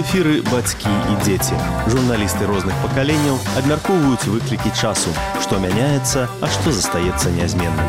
эфіры бацькі і дзеці. Журналісты розных пакаленняў абмяркоўваюць выклікі часу, што мяняецца, а што застаецца нязменным.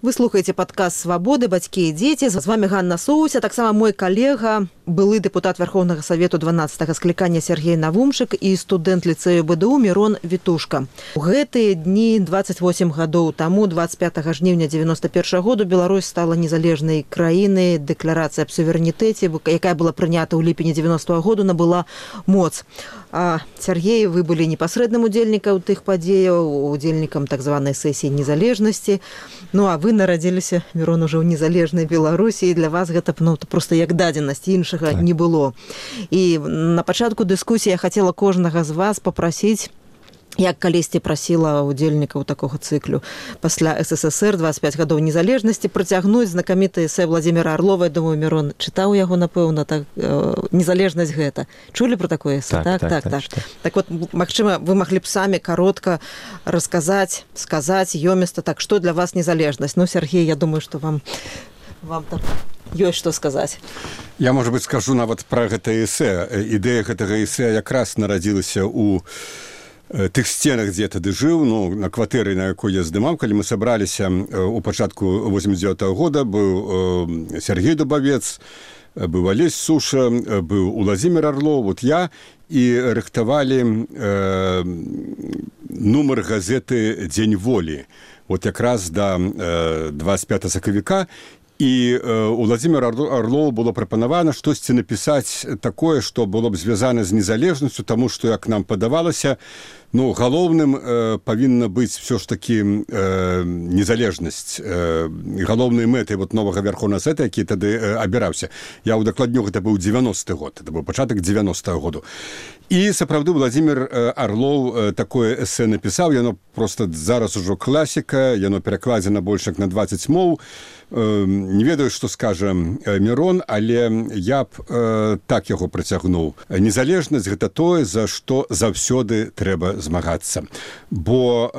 Вы слухаеце падкаст «Свабоды. Бацькі і дзеці». З вами Ганна Соуся, таксама мой калега, былы дэпутат Верховнага Савету 12-го склікання Сергей Навумшык і студэнт ліцэю БДУ Мірон Вітушка. У гэтыя дні 28 гадоў таму, 25 жніўня 91 году, Беларусь стала незалежнай краінай. Дэкларацыя аб суверэнітэце, якая была прынята ў ліпені 90-го году, набыла моц. А Сергей, вы былі непасрэдным удзельнікам тых падзеяў, удзельнікам так званай сесіі незалежнасці. Ну, а вы нарадзіліся, Мірон, ужо ў незалежнай Беларусі, і для вас гэта проста як дадзенасць, іншага не было. І на пачатку дыскусіі я хацела кожнага з вас папрасіць, як калісьці прасіла удзельнікаў такога цыклю пасля СССР 25 гадоў незалежнасці працягнуць знакаміты эсэ Владзіміра Арлова. Я думаю, Мірон чытаў яго, напэўна, так, незалежнасць гэта. Чулі пра такое эсэ? Так. Так вот, магчыма, вы маглі б самі каротка сказаць ёміста, так, што для вас незалежнасць? Ну, Сергей, я думаю, што вам там ёсць што сказаць. Я, можа быць, скажу нават пра гэта эсэ. Ідэя гэтага эсэ якраз нарадзілася ў тых сценах, дзе я тады жыў, на кватэры, на якой я здымаў, калі мы сабраліся у пачатку 89-го года, быў Сергей Дубавец, быў Алесь Суша, быў Владзімір Арлоў, вот я, і рыхтавалі нумар газеты «Дзень волі», вот якраз да 25 сакавіка. І Владзімір Арлоў было прапанавана штосьці напісаць такое, што было б звязана з незалежнасцю, таму што, як нам падавалася, галоўным павінна быць все ж такі незалежнасць, галоўнай мэтай новага Верховнага Савета, які тады абіраўся. Я ўдакладню, гэта быў 90-й год, это быў пачатак 90-го году. І сапраўды Владзімір Арлоў такое эсэ напісаў, яно проста зараз ужо класіка, яно перакладзена больш як на 20 моў. Не ведаю, што скажа Мірон, але я б так яго працягнуў. Незалежнасць – гэта тое, за што заўсёды трэба змагацца. Бо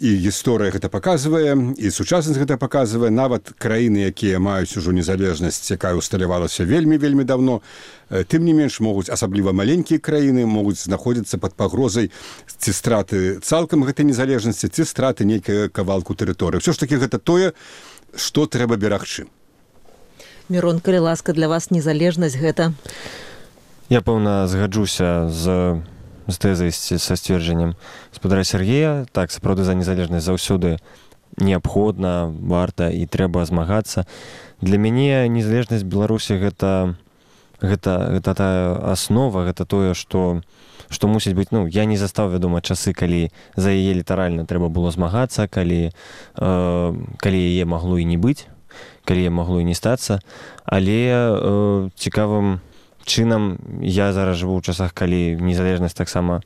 і гісторыя гэта паказвае, і сучаснасць гэта паказвае. Нават краіны, якія маюць ужо незалежнасць, якая усталявалася вельмі даўно, тым не менш могуць, асабліва маленькія краіны, могуць знаходзіцца пад пагрозай ці страты цалкам гэтай незалежнасці, ці страты нейкай кавалку тэрыторыі. Усё ж такі гэта тое, што трэба берагчы. Мірон, калі ласка, для вас незалежнасць гэта? Я, пэўна, згаджуся з тэзай, са сцверджаннем гаспадара Сергея. Так, сапраўды, за незалежнасць заўсёды неабходна, варта і трэба змагацца. Для мяне незалежнасць Беларусі гэта тая аснова, гэта тое, што мусіць быць, я не застаў, вядома, часы, калі за яе літаральна трэба было змагацца, калі яе магло і не быць, калі яе магло і не стацца, але цікавым чынам я зараз жыву ў часах, калі незалежнасць таксама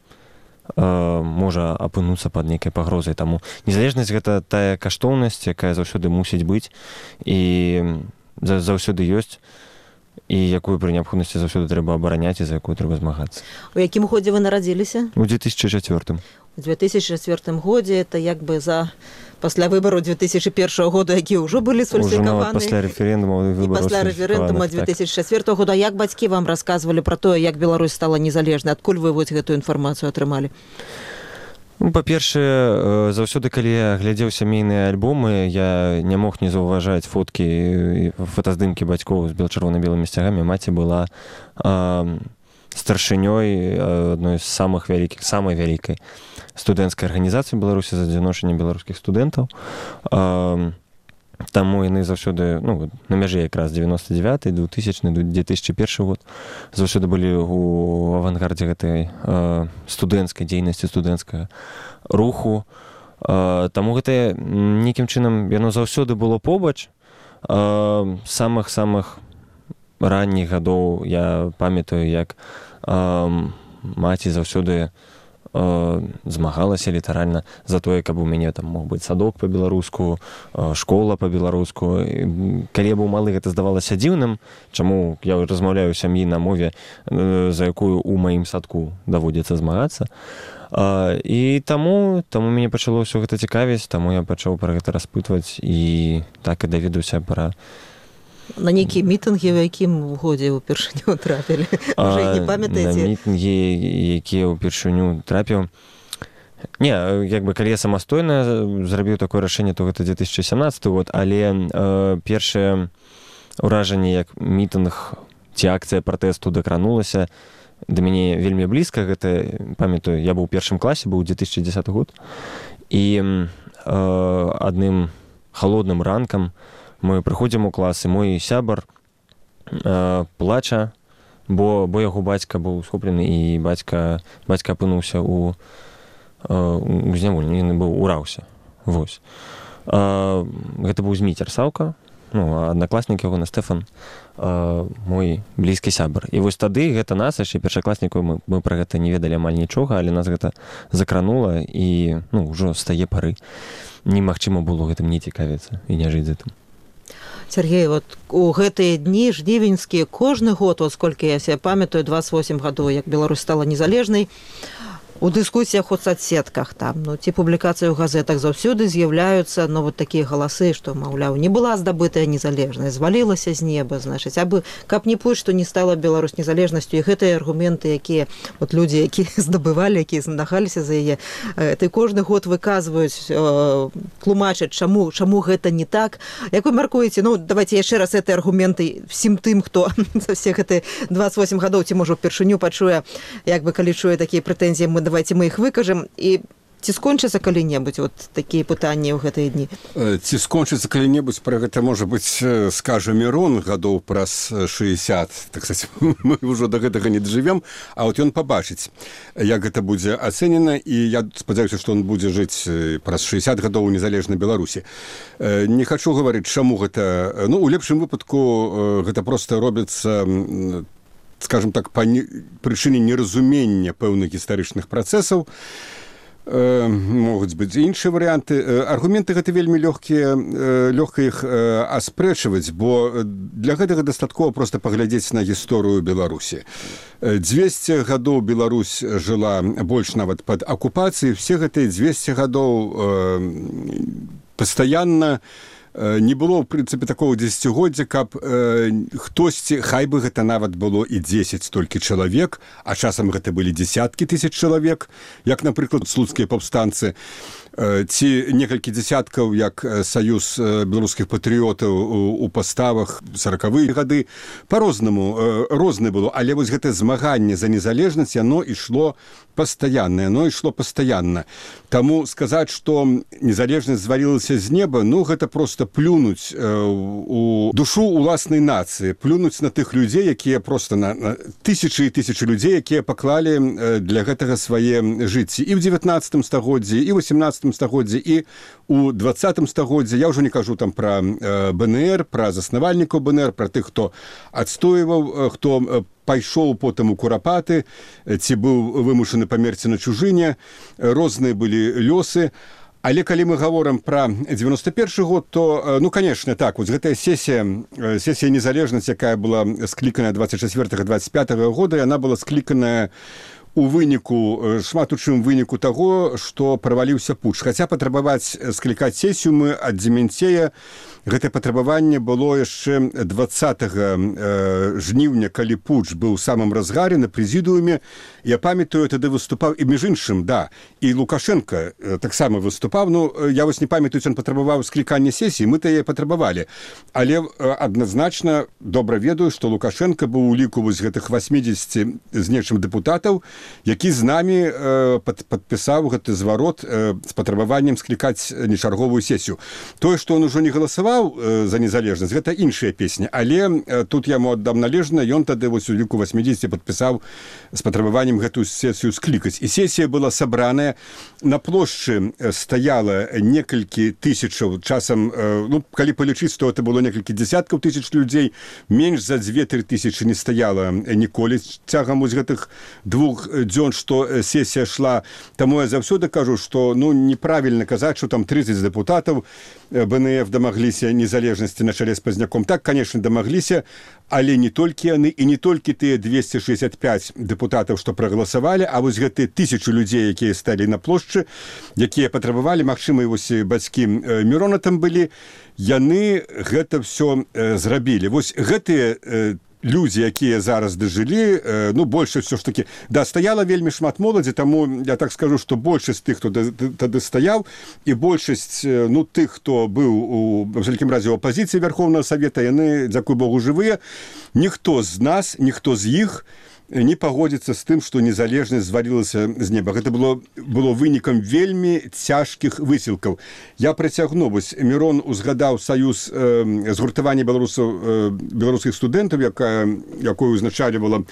можа апынуцца пад нейкай пагрозай. Таму незалежнасць гэта тая каштоўнасць, якая заўсёды мусіць быць і заўсёды ёсць, і якую пры неабходнасці заўсёды трэба абараняць і за якую трэба змагацца. У якім годзе вы нарадзіліся? У 2004. У 2004 годзе, это як бы пасля выбараў 2001 года, якія ўжо былі сфальсіфікаваны. Ужо нават пасля рэферэндума і пасля рэферэндума 2004 года. Як бацькі вам расказвалі пра тое, як Беларусь стала незалежнай? Адкуль вы гэтую інфармацыю атрымалі? Па-першае, заўсёды, калі я глядзеў сямейныя альбомы, я не мог не заўважаць фотаздымкі бацькоў з чырвона-белымі сцягамі. Маці была старшынёй адной з самай вялікай студэнцкай арганізацыі Беларусі за адзіночанне беларускіх студэнтаў. Таму яны заўсёды, на мяжы якраз 99-й, 2000-й, 2001 год, заўсёды былі ў авангардзе гэтай студэнцкай дзейнасці, студэнцкага руху. Таму гэта нейкім чынам яно заўсёды было побач. Самых ранніх гадоў я памятаю, як маці заўсёды змагалася літаральна за тое, каб у мяне там мог быць садок па-беларуску, школа па-беларуску. Калі я быў малы, гэта здавалася дзіўным, чаму я размаўляю ў сям'і на мове, за якую ў маім садку даводзіцца змагацца. І таму мяне пачало ўсё гэта цікавіць, таму я пачаў пра гэта распытваць і так і даведаўся пра На нейкія мітынгі, у якім годзе ўпершыню трапілі? Уже не памятаеце? На мітынгі, якія ўпершыню трапіў. Не, як бы, калі я самастойна зрабіў такое рашэнне, то гэта 2017 год, але першае ўражанне, як мітынг ці акцыя пратэсту дакранулася, да мяне вельмі блізка. Гэта, памятаю, я быў у першым класе, быў 2010 год, і адным халодным ранкам мы прыходзім у клас, і мой сябар плача, бо яго бацька быў схоплены, і бацька апынуўся у зняволенні, ён быў ураўся. Вось. Гэта быў Зміцер Саўка, аднакласнік яго, Стэфан, мой блізкі сябар. І вось тады гэта нас, яшчэ першакласнікаў, мы пра гэта не ведалі амаль нічога, але нас гэта закранула, і ўжо з тае пары немагчыма было гэтым не цікавіцца і не жыць з гэтым. Сергей, вот у гэтыя дні жнівеньскія кожны год, вот сколькі я себе памятаю, 28 гадоў, як Беларусь стала незалежнай, у дыскусіях у соцсетках там, ці публікацыі ў газетах заўсёды з'яўляюцца, вот такія галасы, што, маўляў, не была здабытая незалежнасць, звалілася з неба, значыць, абы каб не пусть, што не стала Беларусь незалежнасцю, і гэтыя аргументы, якія вот людзі, якія здабывалі, якія змагаліся за яе, ты кожны год выказваюць, тлумачаць, чаму гэта не так. Як вы мяркуеце, давайте яшчэ раз гэтыя аргументы всім тым, хто за все гэтыя 28 гадоў, ці можа ўпершыню пачуе, як бы калі чуе такія прэтэнзіі, давайте мы их выкажем, і ці скончыцца калі-небудзь вот такія пытанні ў гэтыя дні? Ці скончыцца калі-небудзь, пра гэта, можа быць, скажа Мірон гадоў праз 60, так сказать, мы ўжо да гэтага не дажывем, а вот ён пабачыць, як гэта будзе ацэнена, і я спадзяюся, што он будзе жыць праз 60 гадоў у незалежнай Беларусі. Не хачу гаварыць, чаму гэта, у лепшым выпадку гэта проста робіцца, скажем так, па прычыне неразумення пэўных гістарычных працэсаў. Могуць быць іншыя варыянты. Аргументы гэта вельмі лёгка іх аспрэчваць, бо для гэтага дастаткова проста паглядзець на гісторыю Беларусі. 200 гадоў Беларусь жыла больш нават пад акупацыяй, все гэтыя 200 гадоў пастаянна не было, в прынцыпе, такого дзесяцігоддзя, каб хтосьці, хай бы гэта нават было і 10 толькі чалавек, а часам гэта былі дзесяткі тысяч чалавек, як, напрыклад, слуцкія паўстанцы, ці некалькі дзесяткаў, як Саюз беларускіх патрыётаў у паставах 40-е гады. Па-рознаму, рознае было, але вось гэтае змаганне за незалежнасць, яно ішло пастаянна. Таму сказаць, што незалежнасць звалілася з неба, гэта проста плюнуць у душу уласнай нацыі, плюнуць на тых людзей, якія проста на тысячы і тысячы людзей, якія паклалі для гэтага свае жыцці і ў 19 стагоддзі, і ў 18 стагоддзі, і ў 20 стагоддзі. Я ўжо не кажу там пра БНР, пра заснавальнікаў БНР, пра тых, хто адстойваў, хто пайшоў потым у курапаты, ці быў вымушаны памерці на чужыне, розныя былі лёсы. Але калі мы гаворым пра 91 год, то, конечно, так, вот гэтая сесія незалежнасць, якая была скліканая 24-25 года, яна была скліканая у выніку, шмат у чым выніку таго, што праваліўся путч. Хаця патрабаваць склікаць сесію мы ад Дземянцея, гэтае патрабаванне было яшчэ 20 жніўня, калі путч быў у самым разгаре на прэзідыуме. Я памятаю, тады выступаў, і між іншым, і Лукашенко таксама выступаў. Я вось не памятаю, ён патрабаваў склікання сесіі, мы-то яе патрабавалі. Але адназначна добра ведаю, што Лукашенко быў у ліку вось гэтых 80 з нечым дэпутатаў, які з намі падпісаў гэты зварот з патрабаваннем склікаць нечарговую сесію. Тое, што ён ужо не галасаваў за незалежнасць, гэта іншая песня, але тут яму аддам належна, ён тады вось у ліку 80 падпісаў з патрабаваннем гэтую сесію склікаць. І сесія была сабраная, на плошчы стаяла некалькі тысячаў, часам, калі палічыць, то это было некалькі дзесяткаў тысяч людзей, менш за 2-3 тысячы не стаяла ніколі цягам вось гэтых 2 дзён, што сесія шла. Таму я заўсёды кажу, што неправільна казаць, што там 30 дэпутатаў БНФ дамагліся незалежнасці на чале з Пазняком. Так, конечно, дамагліся, але не толькі яны, і не толькі тыя 265 дэпутатаў, што прагаласавалі, а вось гэтыя 1000 людзей, якія сталі на плошчы, якія патрабавалі, магчыма, і вось бацькі Мірона там былі, яны гэта все зрабілі. Вось гэтыя людзі, якія зараз дажылі, ну, большасць все ж таки, да, стаяла вельмі шмат моладзі, таму я так скажу, што большасць тых, хто тады стаяў, і большасць, ну, тых, хто быў у абсалютным разе ў апазіцыі Верховнага Савета, яны, дзякуй Богу, жывыя. Ніхто з нас, ніхто з іх не пагодзіцца з тым, што незалежнасць звалілася з неба. Гэта было вынікам вельмі цяжкіх высілкаў. Я працягну. Вось Мірон узгадаў саюз згуртавання беларускіх студэнтаў, якую узначальвала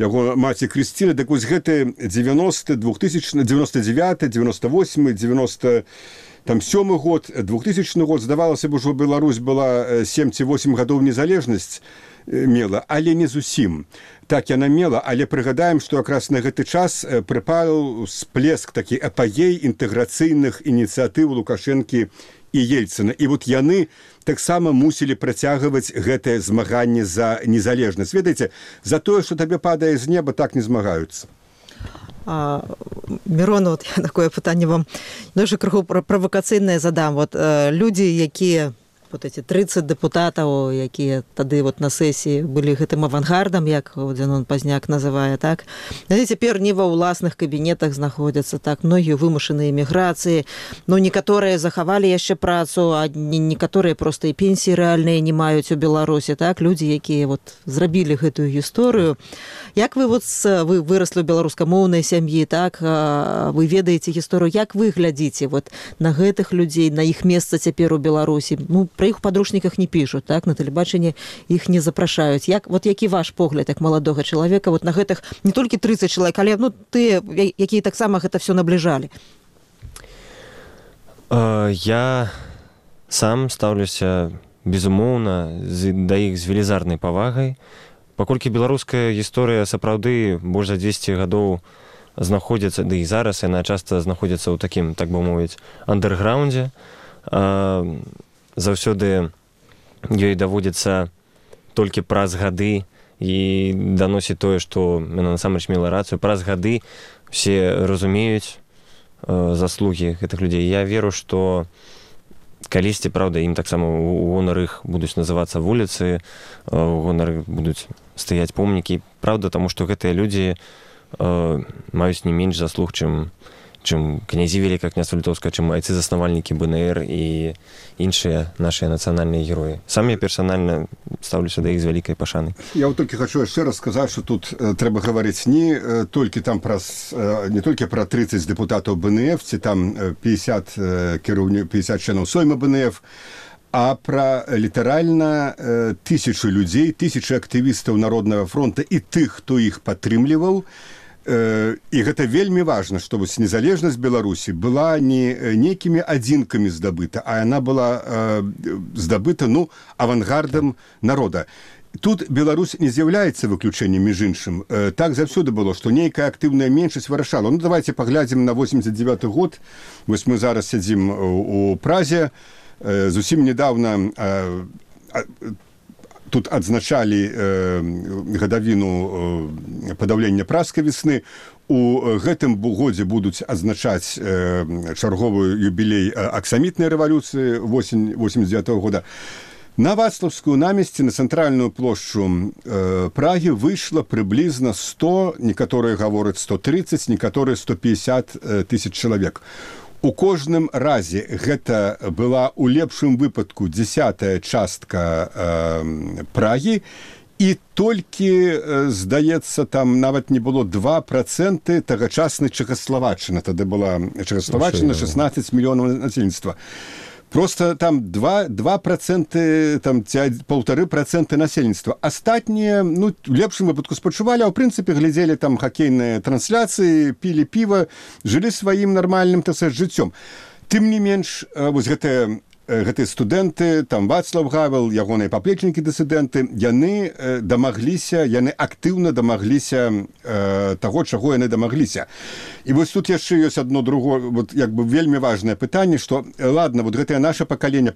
яго маці Крысціна. Так вось гэты 90, 2000, 99, 98, 97 год, 2000 год, здавалася б, ужо Беларусь была 7 ці 8 гадоў незалежнасць мела, але не зусім. Так яна мела, але прыгадаем, што якраз на гэты час прыпаў сплеск такі апагей інтэграцыйных ініцыятыў Лукашэнкі і Ельцына. І вот яны таксама мусілі працягваць гэтае змаганне за незалежнасць. Ведаеце, за тое, што табе падае з неба, так не змагаюцца. Мірон, вот я такое пытанне вам дуже крыху правакацыйнае задам. Вот людзі, якія вот эти 30 дэпутатаў, якія тады вот на сесіі былі гэтым авангардам, як Дзянон Пазняк называе, так? Яны цяпер не ва ўласных кабінетах знаходзяцца, так, многія вымушаныя эміграцыі, ну, некаторыя захавалі яшчэ працу, а некаторыя проста і пенсіі рэальныя не маюць у Беларусі, так? Людзі, якія вот зрабілі гэтую гісторыю. Як вы вот вы выраслі ў беларускамоўнай сям'і, так? Вы ведаеце гісторыю, як вы глядзіце вот на гэтых людзей, на іх месца цяпер у Беларусі? Ну, про іх у падручніках не пішуць, так, на тэлебачанні іх не запрашаюць. Вот які ваш погляд як маладога чалавека вот на гэтых не толькі 30 чалавек, але ну тыя, якія таксама гэта все набліжалі? Я сам стаўлюся безумоўна да іх з велізарнай павагай, паколькі беларуская гісторыя сапраўды больш за 200 гадоў знаходзіцца, ды і зараз яна часта знаходзіцца ў такім, так бы мовіць, андэрграундзе. Заўсёды ёй даводзіцца толькі праз гады і даносіць тое, што яна насамрэч мела рацыю. Праз гады все разумеюць заслугі гэтых людзей. Я веру, што калісьці, правда, ім таксама у гонар іх будуць называцца вуліцы, у гонар іх будуць стаяць помнікі. Правда, таму што гэтыя людзі маюць не менш заслуг, чым князі Великае княства Літоўскае, чым айцы-заснавальнікі БНР і іншыя нашыя нацыянальныя героі. Сам я персанальна стаўлюся да іх з вялікай пашанай. Я вот толькі хачу яшчэ раз сказаць, што тут трэба гаварыць не толькі там не толькі пра 30 дэпутатаў БНФ, ці там 50 членаў Сойма БНФ, а пра літаральна тысячы людзей, тысячы актывістаў Народнага фронта і тых, хто іх падтрымліваў. І гэта вельмі важна, што вось незалежнасць Беларусі была не нейкімі адзінкамі здабыта, а яна была здабыта, ну, авангардам народа. Тут Беларусь не з'яўляецца выключэннем, між іншым. Так заўсёды было, што нейкая актыўная меншасць вырашала. Ну, давайте паглядзім на 89 год. Вось мы зараз сядзім у Празе. Зусім недавно тут адзначалі гадавіну падаўлення пражскай весны. У гэтым годзе будуць адзначаць чарговы юбілей аксамітнай рэвалюцыі восень 89 года. На Вацлаўскую намесці, на цэнтральную плошчу Прагі выйшла прыблізна 100, некаторыя гавораць 130, некаторыя 150 тысяч чалавек. У кожным разе гэта была у лепшым выпадку 10-я частка Прагі, і толькі, здаецца, там нават не было 2% тагачаснай Чэхаславаччыны. Тады была Чэхаславаччына, 16 мільёнаў насельніцтва. Просто там 2%, там 1,5% насельніцтва. Астатнія, ну, в лепшым выпадку спачувалі, а ў прынцыпе глядзелі там хакейныя трансляцыі, пілі піва, жылі сваім нармальным, так сказаць, жыццём. Тым не менш, вось гэтыя студэнты, там Вацлаў Гавел, ягоныя паплечнікі дысідэнты, яны дамагліся, яны актыўна дамагліся таго, чаго яны дамагліся. І вось тут яшчэ ёсць адно другое, вот як бы вельмі важнае пытанне, што ладно, вот гэтае наша пакаленне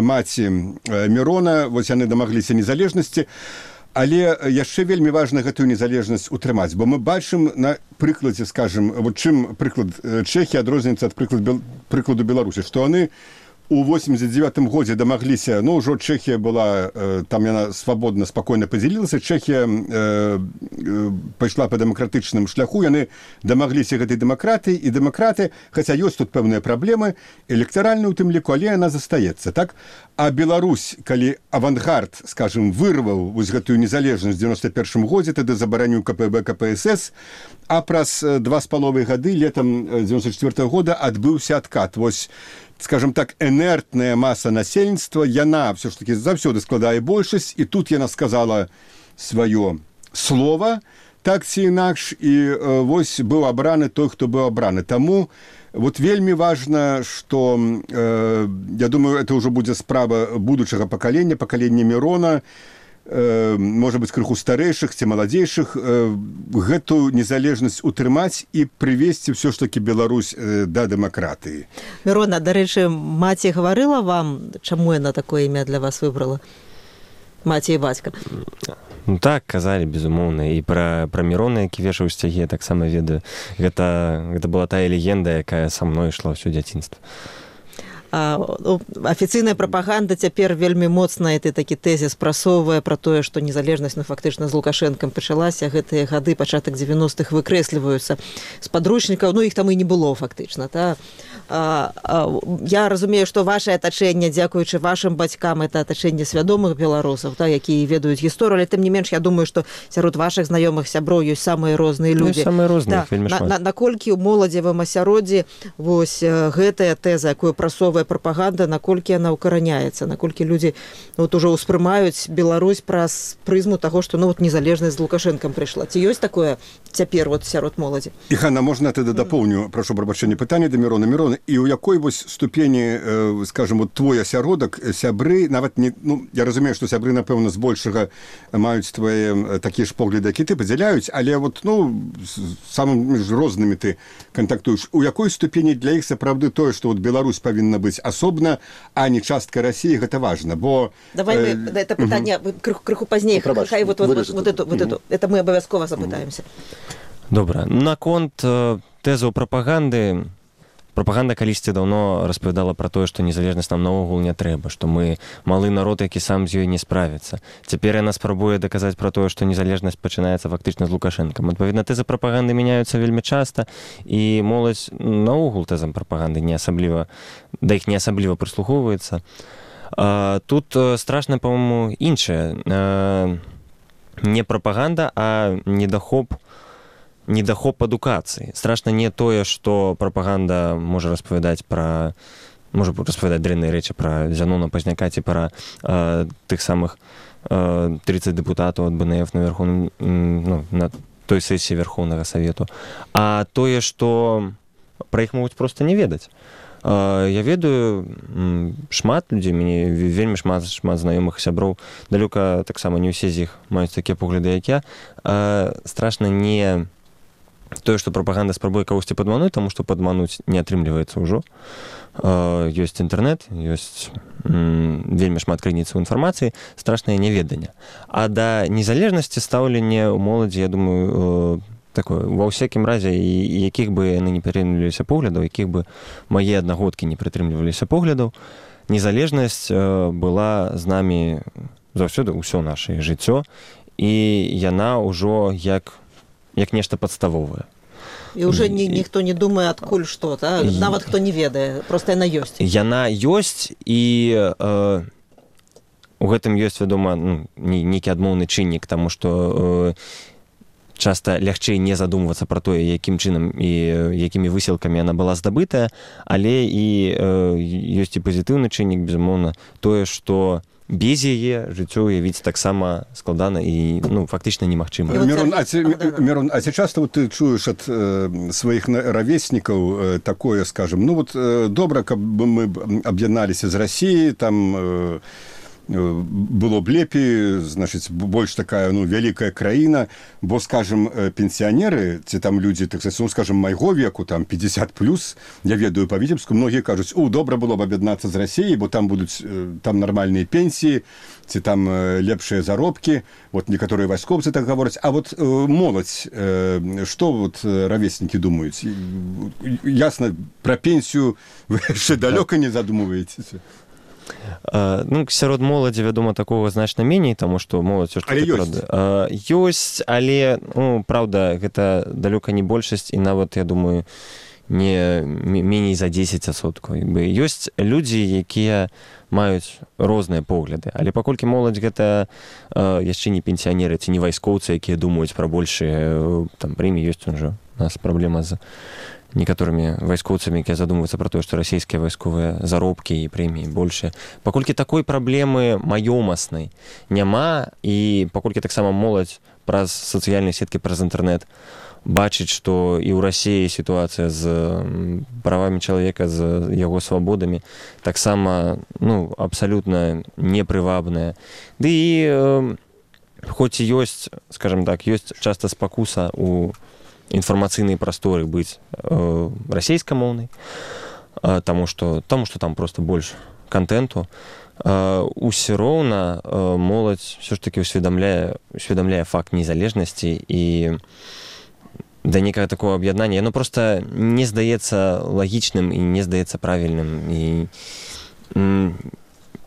маці Мірона, вось яны дамагліся незалежнасці, але яшчэ вельмі важна гэтую незалежнасць утрымаць, бо мы бачым на прыкладзе, скажем, вот чым прыклад Чэхіі адрозніваецца ад прыкладу Беларусі, што яны у 89 годзе дамагліся, ну, ўжо Чэхія была, там яна свабодна, спакойна падзялілася, Чэхія пайшла па дэмакратычным шляху, яны дамагліся гэтай дэмакратыі, і дэмакраты, хаця ёсць тут пэўныя праблемы, электаральны ў тым ліку, але яна застаецца, так? А Беларусь, калі авангард, скажем, вырваў вось гэтую незалежнасць в 91 годзе, тады забараніў КПБ, КПСС, а праз 2,5 гады, летом 94 года, адбыўся адкат. Вось, скажем так, инертная масса насельніцтва, яна все ж таки заўсёды складае большасць, і тут яна сказала свое слово, так ці інакш, і вось быў абраны той, хто быў абраны. Таму вот вельмі важна, што, я думаю, это ўжо будзе справа будучага пакалення, пакалення Мірона, можа быць, крыху старэйшых ці маладзейшых, гэту незалежнасць утрымаць і прывесці ўсё ж такі Беларусь да дэмакратыі. Мірона, дарэчы, маці гаварыла вам, чаму яна такое імя для вас выбрала? Маці і бацька. Ну так, казалі, безумоўна. І пра Мірона, які вешаў сцягі, я таксама ведаю. Гэта была тая легенда, якая са мной ішла ўсё дзяцінства. Афіцыйная прапаганда цяпер вельмі моцна такі тэзіс прасоўвае пра тое, што незалежнасць фактычна з Лукашэнкам пачалася, гэтыя гады, пачатак 90-х выкрэсліваюцца з падручнікаў, ну іх там і не было фактычна. Я разумею, што вашае атачэнне, дзякуючы вашым бацькам, это атачэнне свядомых беларусаў, якія ведаюць гісторыю, але тым не менш, я думаю, што сярод вашых знаёмых сяброў ёсць самыя розныя людзі. Самыя розныя, вельмі шмат. Наколькі ў моладзевым асяроддзі вось гэтая тэза, якую прасоўвае прапаганда, наколькі яна ўкараняецца, наколькі людзі вот ужо ўспрымаюць Беларусь праз прызму таго, што ну вот незалежнасць з Лукашэнкам прыйшла. Ці ёсць такое цяпер вот сярод моладзі? І, Ганна, можна тады дапоўню, прашу прабачэння, пытанне да Мірона. Мірона, і ў якой вось ступені, скажем, вот твой асяродак, сябры, нават не, ну, я разумею, што сябры, напэўна, збольшага маюць твае такія ж погляды, які ты падзяляюць, але вот, ну, самымі ж рознымі ты кантактуеш. У якой ступені для іх сапраўды тое, што вот Беларусь павінна быць асобна, а не частка России, гэта важно, бо... Давай мы это пытанне крыху пазней, хай вот эту, это мы абавязкова запытаемся. Добра. Наконт тэзаў прапаганды, прапаганда калісьці даўно распавядала пра тое, што незалежнасць нам наогул не трэба, што мы малы народ, які сам з ёй не справіцца. Цяпер яна спрабуе даказаць пра тое, што незалежнасць пачынаецца фактычна з Лукашэнкам. Адпаведна, тэзы прапаганды мяняюцца вельмі часта, і моладзь наогул тэзам прапаганды да іх не асабліва прыслухоўваецца. Тут страшна, па-моему, іншае. Не прапаганда, а недахоп адукацыі. Страшна не тое, што прапаганда можа распавядаць дрэнныя рэчы пра Зянона Пазняка ці пра тых самых 30 дэпутатаў ад БНФ на той сесіі Верхоўнага Савету, а тое, што пра іх могуць проста не ведаць. Я ведаю шмат людзей, мяне вельмі шмат знаёмых сяброў, далёка таксама не ўсе з іх маюць такія погляды, як я. Страшна не тое, што прапаганда спрабуе кагосьці падмануць, таму што падмануць не атрымліваецца ўжо. Ёсць інтэрнэт, ёсць вельмі шмат крыніцаў інфармацыі, страшнае няведанне. А да незалежнасці стаўленне ў моладзі, я думаю, такое, ва ўсякім разе, якіх бы яны не прытрымліваліся поглядаў, якіх бы мае аднагодкі не прытрымліваліся поглядаў, незалежнасць была з намі заўсёды ўсё нашае жыццё, і яна ўжо як нешта падставовае. І ўжо ніхто не думае, адкуль што, нават хто не ведае, проста яна ёсць. Яна ёсць, і у гэтым ёсць, вядома, нейкі адмоўны чыннік, таму што часта лягчэй не задумвацца пра тое, якім чынам і якімі высілкамі яна была здабытая, але і ёсць і пазітыўны чыннік, безумоўна, тое, што без яе жыццё уявіць таксама складана і фактычна немагчыма. Мірон, а ці часта ты чуеш ад сваіх равеснікаў такое, скажем, добра, каб мы аб'ядналіся з Расіяй, там было б лепей, значыць, больш такая, ну, вялікая краіна, бо, скажем, пенсіянеры, ці там людзі, так сказать, ну, скажем, майго веку, там, 50+, я ведаю па Віцебску, многія кажуць, добра было б аб'яднацца з Расіяй, бо там будуць там нармальныя пенсіі, ці там лепшыя заробкі, вот некаторыя вайскоўцы так гавораць, а вот моладзь, што вот равеснікі думаюць? Ясна, пра пенсію вы яшчэ далёка не задумваецеся? Ну, сярод моладзі, вядома, такога значна меней, таму што моладзь ёсць, але, ну, праўда, гэта далёка не большасць, і нават, я думаю, не меней за 10%. Ёсць людзі, якія маюць розныя погляды, але паколькі моладзь гэта яшчэ не пенсіянеры ці не вайскоўцы, якія думаюць пра большыя там прэміі, ёсць уже у нас праблема з некаторымі вайскоўцамі, якія задумваюцца пра тое, што расійскія вайсковыя заробкі і прэміі большыя. Паколькі такой праблемы маёмаснай няма, і паколькі таксама моладзь праз сацыяльныя сеткі, праз інтэрнэт бачыць, што і ў Расіі сітуацыя з правамі чалавека, з яго свабодамі таксама, ну, абсалютна непрывабная. Ды і хоць і ёсць, скажем так, ёсць часта спакуса у інфармацыйнай прасторы быць расейскамоўнай, таму што там проста больш контенту, усё роўна моладзь ўсё ж такі усведамляе факт незалежнасці, і да некага такого аб'яднання яно проста не здаецца лагічным і не здаецца правільным, і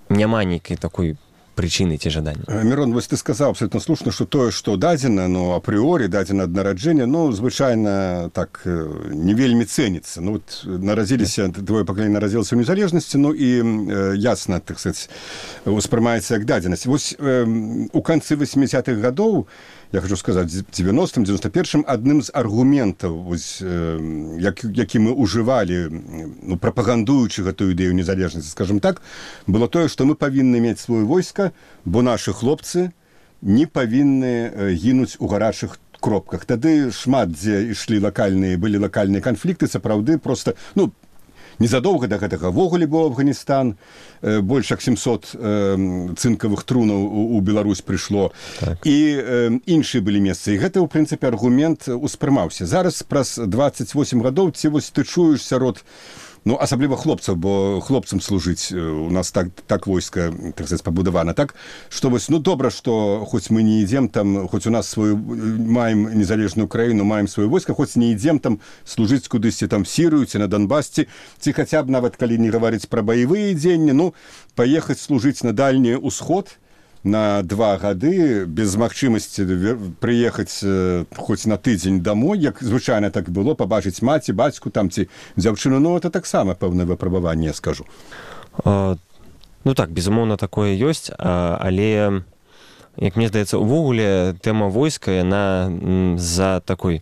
няма нейкай такой причины ці жадання. Мирон, вось ты сказаў абсолютно слушна, што тое, што дадзена, ну, апрыорі дадзена ад нараджэння, ну, звычайна так не вельмі цэніцца. Ну, вот нарадзіліся, твоё пакаленне нарадзілася ў незалежнасці, ну, і ясна, так сказаць, успрымаецца як дадзенасць. Вось у канцы 80-х гадоў, я хочу сказаць, 90-м, 91-м, адным з аргументаў, вось, які мы ўжывалі, ну, прапагандуючы гэтую ідэю незалежнасці, скажем так, было тое, што мы павінны мець сваё войска, бо нашы хлопцы не павінны гінуць у гарачых кропках. Тады шмат дзе былі лакальныя канфлікты, сапраўды проста, ну, незадоўга да гэтага ввогуле быў Афганістан, больш як 700 цынкавых трунаў у Беларусь прыйшло, так. І іншыя былі месцы. І гэта, ў прынцыпе, аргумент успрымаўся. Зараз праз 28 гадоў ці вось ты чуеш сярод, ну, асабліва хлопцаў, бо хлопцам служыць у нас так войска, так сказаць, пабудавана, так, што вось, ну, добра, што хоць мы не ідзем там, хоць у нас маем незалежную краіну, маем сваё войска, хоць не ідзем там служыць кудысьці там Сірыю ці на Донбасці, ці хаця б нават калі не гаварыць пра баявыя дзеянні, ну, паехаць служыць на дальні ўсход на 2 гады без магчымасці прыехаць хоць на тыдзень домой, як звычайна так было, пабачыць маці, бацьку там ці дзяўчыну, ну, это таксама пэўнае выпрабаванне, я скажу. Ну так, безумоўна, такое ёсць, але, як мне здаецца, увогуле тэма войска, яна з-за такой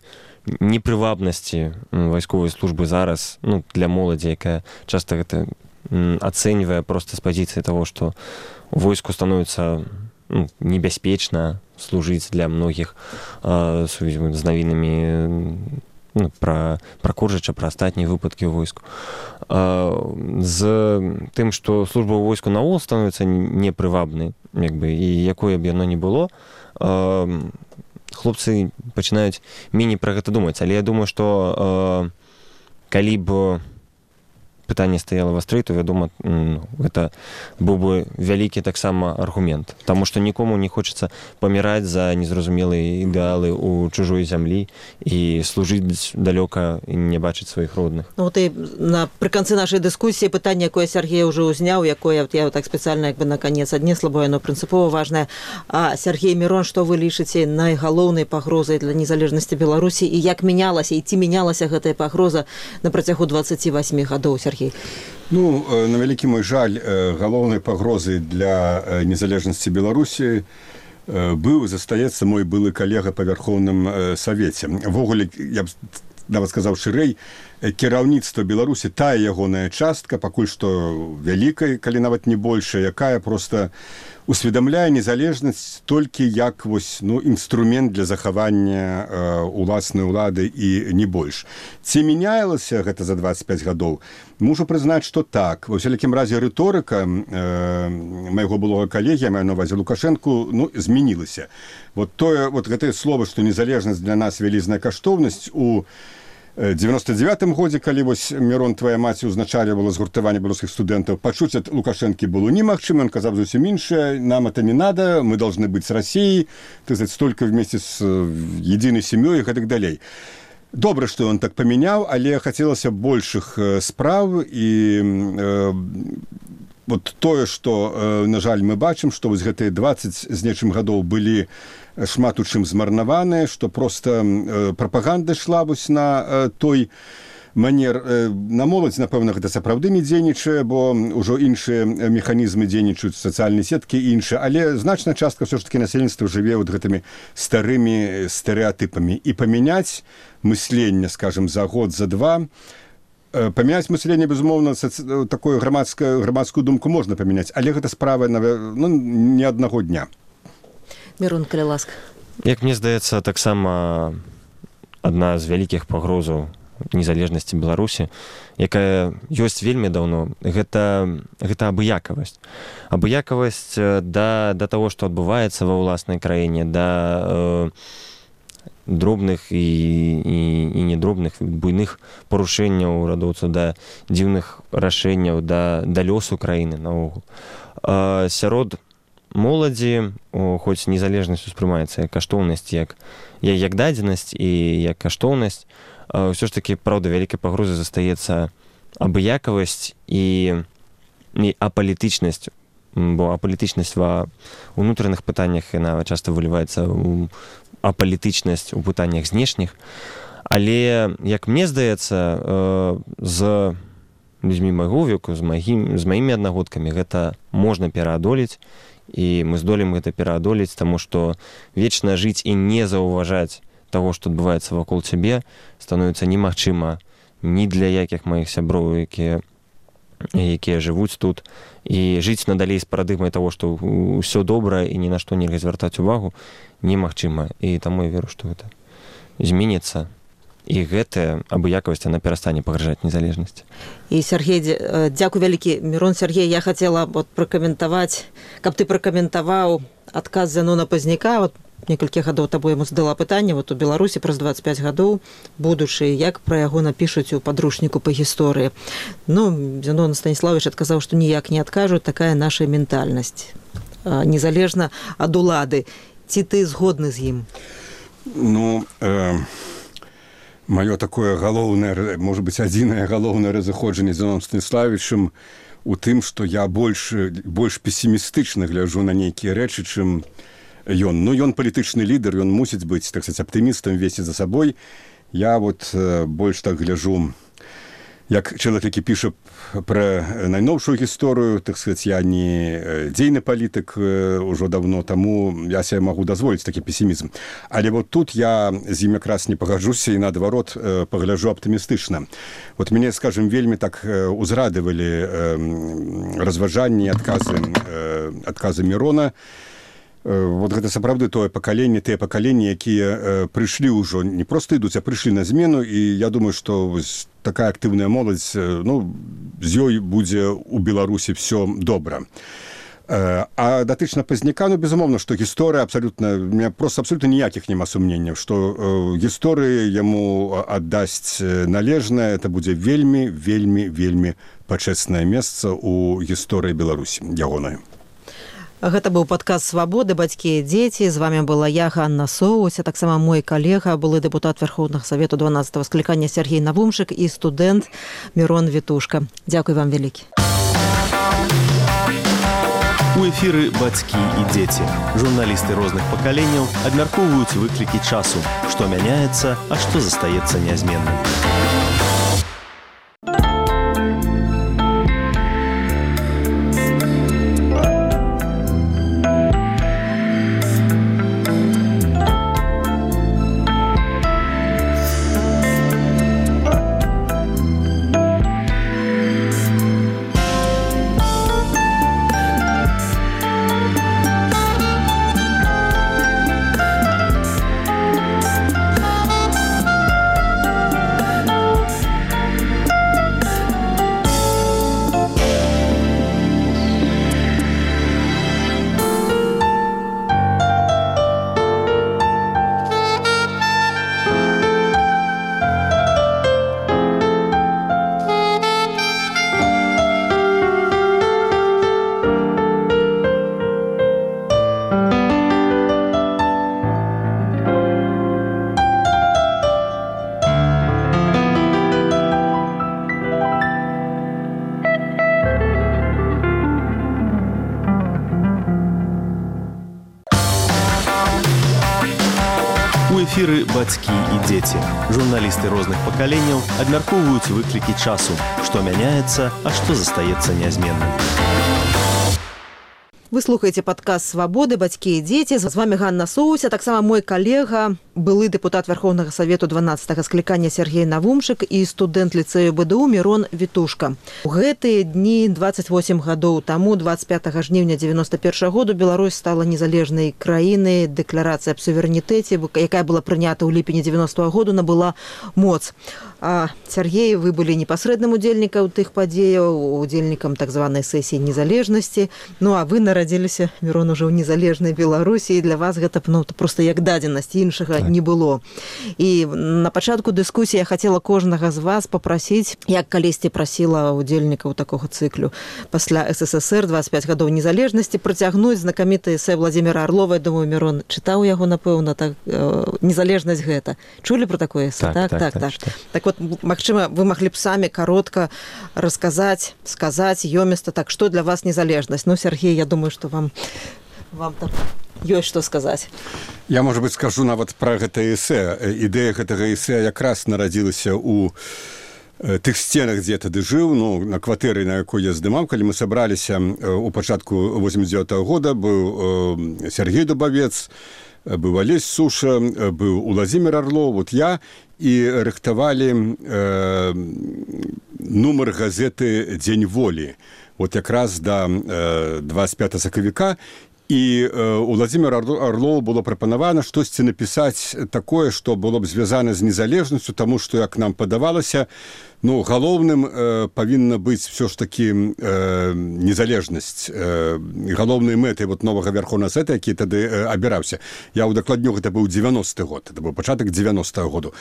непрывабнасці вайсковай службы зараз, ну, для моладзі, якая часта гэта ацэньвае проста з пазіцыі таго, што войску становіцца, ну, небяспечна служыць для многіх з навінамі, ну, пра Коржыча, пра астатнія выпадкі ў войску. З тым, што служба ў войску наогул становіцца непрывабнай, як бы, і якое б яно не было, хлопцы пачынаюць меней пра гэта думаць. Але я думаю, што калі б пытанне стаяла вастрэй, то, вядома, гэта быў бы вялікі таксама аргумент. Таму што нікому не хочацца паміраць за незразумелыя ідэалы ў чужой зямлі і служыць далёка і не бачыць сваіх родных. Ну, вот і напрыканцы нашай дыскусіі пытанне, якое Сергей уже узняў, якое я так спецыяльна як бы наконец аднесла, бо яно прынцыпова важнае. А Сергей, Мирон, што вы лічыце найгалоўнай пагрозай для незалежнасці Беларусі, і як мянялася, і ці мянялася гэтая пагроза на працягу 28 гадоў, Сергей? Ну, на вялікі мой жаль, галоўнай пагрозай для незалежнасці Беларусі быў, застаецца мой былы калега па Вярхоўным Савеце. Ввогуле, я б нават сказаў шырэй, кіраўніцтва Беларусі, тая ягоная частка, пакуль што вялікая, калі нават не большая, якая проста усведамляе незалежнасць толькі як вось, інструмент для захавання уласнай улады і не больш. Ці мяняілася гэта за 25 гадоў? Мушу прызнаць, што так. Ва ўсялякім разе рыторыка майго былога калегі, я маю на ўвазе Лукашэнку, змянілася. Вот гэтае слово, што незалежнасць для нас вялізная каштоўнасць у 99-м годзе, калі вось Мірон, твая маці, узначальвала згуртаванне беларускіх студэнтаў, пачуць ад Лукашэнкі было немагчыма, ён казаў зусім іншае, нам это не надо, мы должны быть с Россией, столько вместе с единой семьей и так далей. Добра, што ён так памяняў, але хацелася большых спраў і вот тое, што, на жаль, мы бачым, што вось гэтыя 20 з нечым гадоў былі шмат у чым змарнаваныя, што проста прапаганда ішла вось на той манер. На моладзь, напэўна, гэта сапраўды не дзейнічае, бо ўжо іншыя механізмы дзейнічаюць, сацыяльныя сеткі і іншыя, але значная частка ўсё ж такі насельніцтва жыве вот гэтымі старымі стэрэатыпамі. І памяняць мысленне, скажем, за год, за два, памяняць мысленне, безумоўна, такую грамадскую думку можна памяняць, але гэта справа не аднаго дня. Мірон, калі ласка. Як мне здаецца, таксама адна з вялікіх пагрозаў незалежнасці Беларусі, якая ёсць вельмі даўно, гэта абыякавасць. Абыякавасць да таго, што адбываецца ва ўласнай краіне, да дробных і недробных, буйных парушэнняў урадоўцаў, да дзіўных рашэнняў, да лёсу краіны наогул. Сярод моладзі, хоць незалежнасць успрымаецца як каштоўнасць, як дадзенасць і як каштоўнасць, ўсё ж такі, праўда, вялікай пагрозай застаецца абыякавасць і апалітычнасць, бо апалітычнасць ва ўнутраных пытаннях, яна часта выліваецца ў апалітычнасць у пытаннях знешніх. Але, як мне здаецца, з людзьмі майго веку, з маімі аднагодкамі гэта можна пераадолець, і мы здолеем гэта пераадолець, таму што вечна жыць і не заўважаць таго, што адбываецца вакол цябе, становіцца немагчыма ні для якіх маіх сяброў, якія жывуць тут, і жыць надалей з парадыгмай таго, што ўсё добра і ні на што нельга звяртаць увагу, немагчыма. І таму я веру, што гэта зменіцца. І гэтая абыякавасць, яна перастане пагражаць незалежнасці. І, Сергей, дзякуй вялікі. Мірон, Сергей, я хацела пракаментаваць, каб ты пракаментаваў адказ Зянона Пазняка. Некалькі гадоў табой яму задала пытанне, у Беларусі праз 25 гадоў будучы, як пра яго напішуць у падручніку па гісторыі. Зянон Станіславович адказаў, што ніяк не адкажуць, такая наша ментальнасць, незалежна ад улады. Ці ты згодны з ім? Маё такое галоўнае, можа быць, адзінае галоўнае разыходжанне з Зяноном Станіславовичам у тым, што я больш песімістычна гляджу на нейкія рэчы, чым ён. Ён палітычны лідар, ён мусіць быць, так сказаць, аптымістам, весці за сабой. Я больш так гляджу, як чалавек, які піша пра найноўшую гісторыю, так сказаць, я не дзейны палітык ужо давно, таму я себе магу дазволіць такі песімізм. Але тут я з ім якраз не пагаджуся і наадварот пагляджу аптымістычна. Мяне, скажем, вельмі так узрадавалі разважанні, адказы Мірона. Гэта сапраўды тое пакаленне, тыя пакаленні, якія прыйшлі ўжо, не проста ідуць, а прыйшлі на змену, і я думаю, што такая актыўная моладзь, з ёй будзе ў Беларусі все добра. А датычна Пазняка, безумоўна, што гісторыя абсалютна, у меня просто абсолютно ніякіх няма сумненняў, што гісторыя яму аддасць належнае, это будзе вельмі, вельмі, вельмі пачэснае месца ў гісторыі Беларусі, ягонай. Гэта быў падкаст «Свабоды. Бацькі і дзеці». З вами была я, Ганна Соусь, а таксама мой калега, былы дэпутат Верховнага Савету 12-го склікання Сергей Навумшык і студэнт Мірон Вітушка. Дзякуй вам вялікі. У эфіры «Бацькі і дзеці». Журналісты розных пакаленняў абмяркоўваюць выклікі часу, што мяняецца, а што застаецца нязменным. У эфіры бацькі і дзеці. Журналісты розных пакаленняў абмяркоўваюць выклікі часу, што мяняецца, а што застаецца нязменным. Вы слухаеце падкаст «Свабоды. Бацькі і дзеці». З вами Ганна Соуся, таксама мой калега, былы дэпутат Верховнага Савету 12-го склікання Сергей Навумшык і студэнт ліцэю БДУ Мирон Вітушка. У гэтыя дні 28 гадоў таму, 25 жніўня 91 году, Беларусь стала незалежнай краінай. Дэкларацыя аб суверэнітэце, якая была прынята ў ліпені 90-го году, набыла моц. А Сергей, вы былі непасрэдным удзельнікам тых падзеяў, удзельнікам так званай сесіі незалежнасці. Ну а вы нарадзіліся, Мирон, уже ў незалежнай Беларусі, і для вас гэта проста як дадзенасць, іншага не было. І на пачатку дыскусіі я хацела кожнага з вас папрасіць, як калісьці прасіла удзельнікаў такога цыклю пасля СССР 25 гадоў незалежнасці, працягнуць знакаміты эсэ Владзіміра Арлова. Я думаю, Мирон чытаў яго, напэўна, так, незалежнасць гэта. Чулі про такое эсэ? Так вот, магчыма, вы маглі б самі каротка расказаць, сказаць ёміста, так, што для вас незалежнасць? Ну, Сергей, я думаю, што вам там ёсць што сказаць. Я, может быть, скажу нават пра гэта эсэ. Ідэя гэтага эсэ якраз нарадзілася ў тых сценах, дзе я тады жыў, ну, на кватэры, на якой я здымаў, калі мы сабраліся у пачатку 89-го года, быў Сергей Дубавец, быў Алесь Суша, быў Владзімір Арлоў, вот я, і рыхтавалі нумар газеты «Дзень волі». Вот якраз да 25 сакавіка, і у Владзіміра Арлоў было прапанавана штосьці напісаць такое, што было б звязана з незалежнасцю, таму што, як нам падавалася, ну, галоўным павінна быць все ж такі незалежнасць, галоўнай мэтай вот новага Верховнага Савета, які тады абіраўся. Я ўдакладню, гэта быў 90-й год, это быў пачатак 90-го году.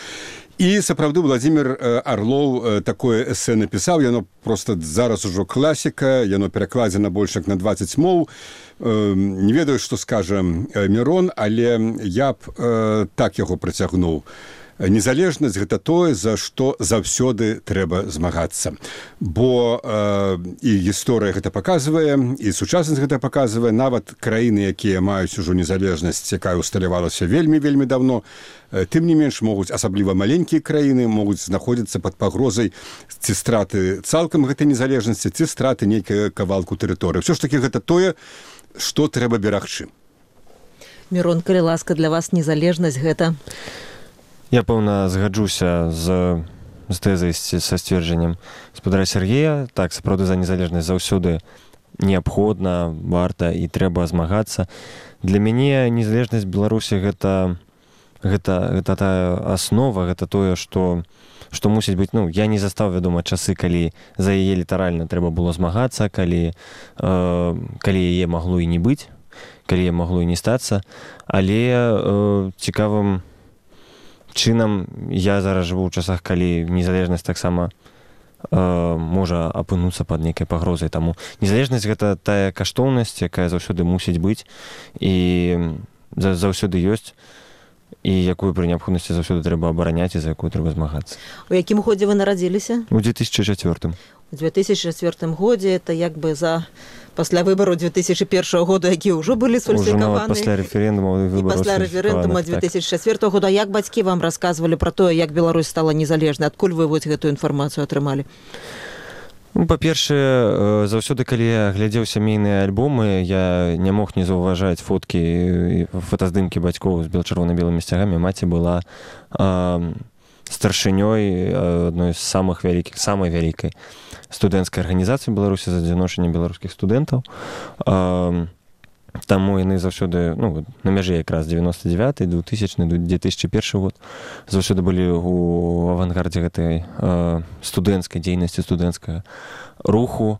І сапраўды Владзімір Арлоў такое эсэ напісаў, яно просто зараз ужо класіка, яно перакладзена больш як на 20 моў. Не ведаю, што скажа Мирон, але я б так яго працягнуў. Незалежнасць – гэта тое, за што заўсёды трэба змагацца. Бо і гісторыя гэта паказвае, і сучаснасць гэта паказвае. Нават краіны, якія маюць ужо незалежнасць, якая усталявалася вельмі давно, тым не менш могуць, асабліва маленькія краіны, могуць знаходзіцца пад пагрозай ці страты цалкам гэтай незалежнасці, ці страты нейкага кавалку тэрыторыі. Усё ж такі гэта тое, што трэба берагчы. Мирон, калі ласка, для вас незалежнасць гэта? Я, пэўна, згаджуся з тэзай, са сцверджаннем гаспадара Сергея. Так, сапраўды, за незалежнасць заўсёды неабходна, варта і трэба змагацца. Для мяне незалежнасць Беларусі гэта тая аснова, гэта тое, што мусіць быць, ну, я не застаў, вядома, часы, калі за яе літаральна трэба было змагацца, калі яе магло і не быць, калі яе магло і не стацца, але цікавым чынам я зараз жыву ў часах, калі незалежнасць таксама можа апынуцца пад нейкай пагрозай. Таму незалежнасць гэта тая каштоўнасць, якая заўсёды мусіць быць і заўсёды ёсць, і якую пры неабходнасці заўсёды трэба абараняць і за якую трэба змагацца. У якім годзе вы нарадзіліся? У 2004. У 2004 годзе, это як бы пасля выбараў 2001 года, якія ўжо былі сфальсіфікаваны. Пасля рэферэндума і пасля рэферэндума 2004 года. Як бацькі вам расказвалі пра тое, як Беларусь стала незалежнай? Адкуль вы вось гэтую інфармацыю атрымалі? Ну, па-першае, заўсёды, калі я глядзеў сямейныя альбомы, я не мог не заўважаць фоткі, фотаздымкі бацькоў з чырвона-белымі сцягамі. Маці была старшынёй адной з самай вялікай студэнцкай арганізацыі Беларусі за адзіночанне беларускіх студэнтаў. Таму яны заўсёды, ну, на мяжы якраз 99-й, 2000-й, 2001 год заўсёды былі ў авангардзе гэтай студэнцкай дзейнасці, студэнцкага руху.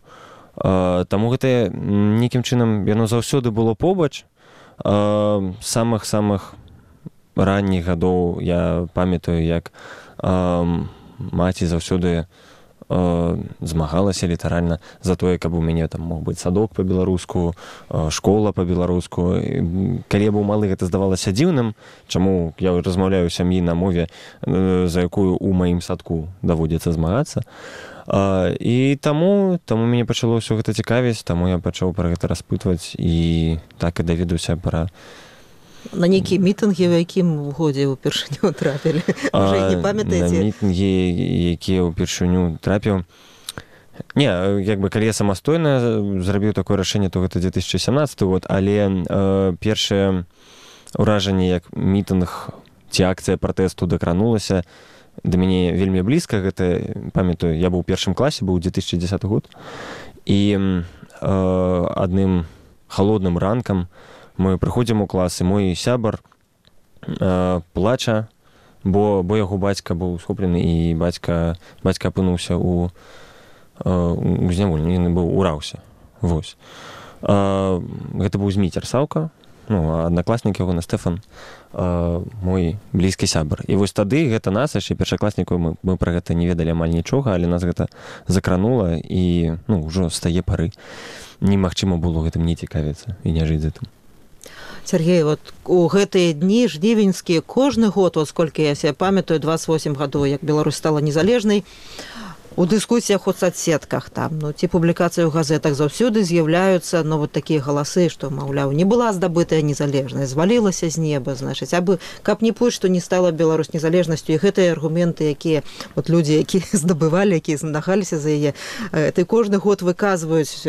Таму гэта нейкім чынам яно заўсёды было побач. Самых ранніх гадоў я памятаю, як маці заўсёды змагалася літаральна за тое, каб у мяне там мог быць садок па-беларуску, школа па-беларуску. Калі я быў малы, гэта здавалася дзіўным, чаму я размаўляю сям'і на мове, за якую ў маім садку даводзіцца змагацца. І таму мяне пачало ўсё гэта цікавіць, таму я пачаў пра гэта распытваць і так і даведаўся пра На нейкія мітынгі, у якім годзе ўпершыню трапілі? Уже не памятаеце? На мітынгі, якія ўпершыню трапіў. Не, як бы, калі я самастойна зрабіў такое рашэнне, то гэта 2017 год, але першае ўражанне, як мітынг ці акцыя пратэсту дакранулася, да мяне вельмі блізка, гэта, памятаю, я быў у першым класе, быў 2010 год, і адным халодным ранкам мы прыходзім у клас, і мой сябар плача, бо яго бацька быў схоплены, і бацька апынуўся у зняволенні, ён быў ураўся. Вось. Гэта быў Зміцер Саўка, аднакласнік яго на Стэфан, мой блізкі сябар. І вось тады гэта нас, яшчэ першакласнікаў, мы пра гэта не ведалі амаль нічога, але нас гэта закранула, і ўжо з тае пары немагчыма было гэтым не цікавіцца і не жыць за тым. Сергей, вот у гэтыя дні жнівеньскія кожны год, вот сколькі я себе памятаю, 28 гадоў, як Беларусь стала незалежнай, у дыскусіях у соцсетках там, ці публікацыі ў газетах заўсёды з'яўляюцца, вот такія галасы, што, маўляў, не была здабытая незалежнасць, звалілася з неба, значыць, абы каб не пусть, што не стала Беларусь незалежнасцю, і гэтыя аргументы, якія вот людзі, якія здабывалі, якія змагаліся за яе, ты кожны год выказваюць,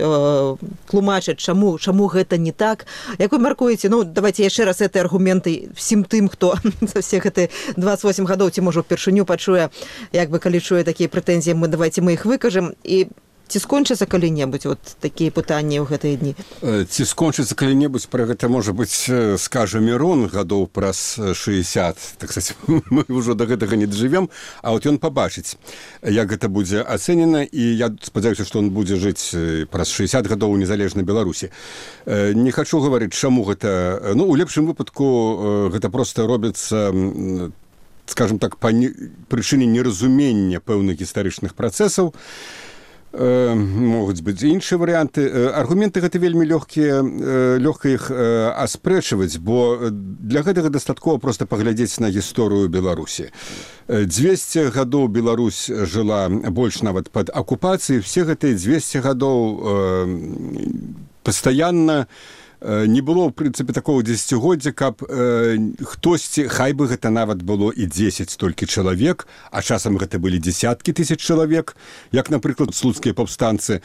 тлумачаць, чаму гэта не так. Як вы мяркуеце, давайте яшчэ раз гэтыя аргументы всім тым, хто за все гэтыя 28 гадоў, ці можа упершыню пачуе, як бы калі чуе такія прэтэнзіі, давайте мы их выкажем, і ці скончыцца калі-небудзь вот такія пытанні ў гэтыя дні? Ці скончыцца калі-небудзь, пра гэта, можа быць, скажа Мірон гадоў праз 60, так сказать, мы ўжо да гэтага не дажывем, а вот ён пабачыць, як гэта будзе ацэнена, і я спадзяюся, што он будзе жыць праз 60 гадоў у незалежнай Беларусі. Не хачу гаварыць, чаму гэта, у лепшым выпадку гэта проста робіцца, скажем так, па прычыне неразумення пэўных гістарычных працэсаў. Могуць быць іншыя варыянты. Аргументы гэта вельмі лёгка іх аспрэчваць, бо для гэтага дастаткова проста паглядзець на гісторыю Беларусі. 200 гадоў Беларусь жыла больш нават пад акупацыяй, все гэтыя 200 гадоў пастаянна не было, в прынцыпе, такого дзесяцігоддзя, каб хтосьці, хай бы гэта нават было і 10 толькі чалавек, а часам гэта былі дзесяткі тысяч чалавек, як, напрыклад, слуцкія паўстанцы,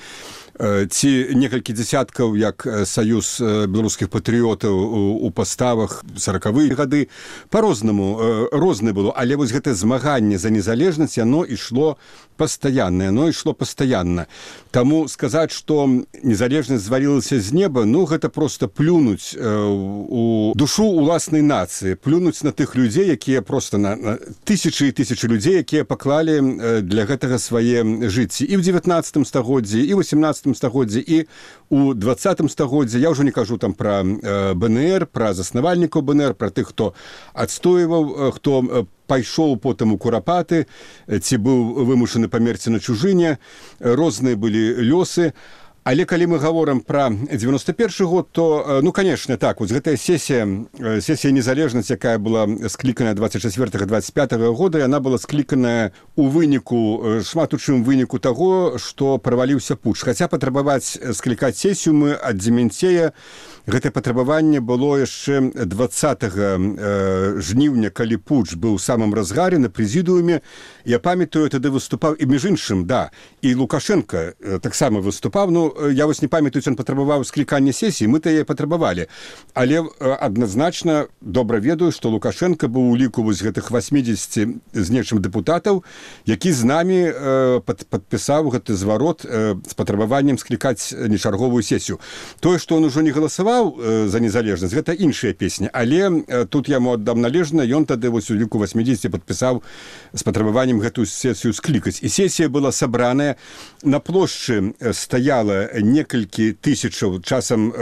ці некалькі дзесяткаў, як саюз беларускіх патрыётаў у паставах 40-е гады. Па-рознаму, рознае было, але вось гэтае змаганне за незалежнасць, яно ішло пастаянна. Таму сказаць, што незалежнасць звалілася з неба, гэта проста плюнуць у душу уласнай нацыі, плюнуць на тых людзей, якія проста на тысячы і тысячы людзей, якія паклалі для гэтага свае жыцці і ў 19 стагоддзі, і ў 18 стагоддзі, і ў 20 стагоддзі. Я ўжо не кажу там пра БНР, пра заснавальнікаў БНР, пра тых, хто адстойваў, хто пайшоў потым у курапаты, ці быў вымушаны памерці на чужыне, розныя былі лёсы. Але калі мы гаворым пра 91 год, то, конечно, так, вот гэтая сесія незалежнасць, якая была скліканая 24-25 года, яна была скліканая у выніку, шмат у чым выніку таго, што праваліўся путч. Хаця патрабаваць склікаць сесію мы ад Дземянцея, гэтае патрабаванне было яшчэ 20 жніўня, калі путч быў у самым разгаре на прэзідыуме. Я памятаю, тады выступаў, і між іншым, і Лукашенко таксама выступаў, я вось не памятаю, ён патрабаваў склікання сесіі, мы-то яе патрабавалі. Але адназначна добра ведаю, што Лукашенко быў у ліку вось гэтых 80 з нечым дэпутатаў, які з намі падпісаў гэты зварот з патрабаваннем склікаць нечарговую сесію. Тое, што он ужо не галасаваў за незалежнасць, гэта іншая песня. Але тут яму аддам належна, ён тады вось у ліку 80 падпісаў з патрабаваннем гэтую сесію склікаць. І сесія была сабраная, на плошчы стаяла некалькі тысячаў, часам,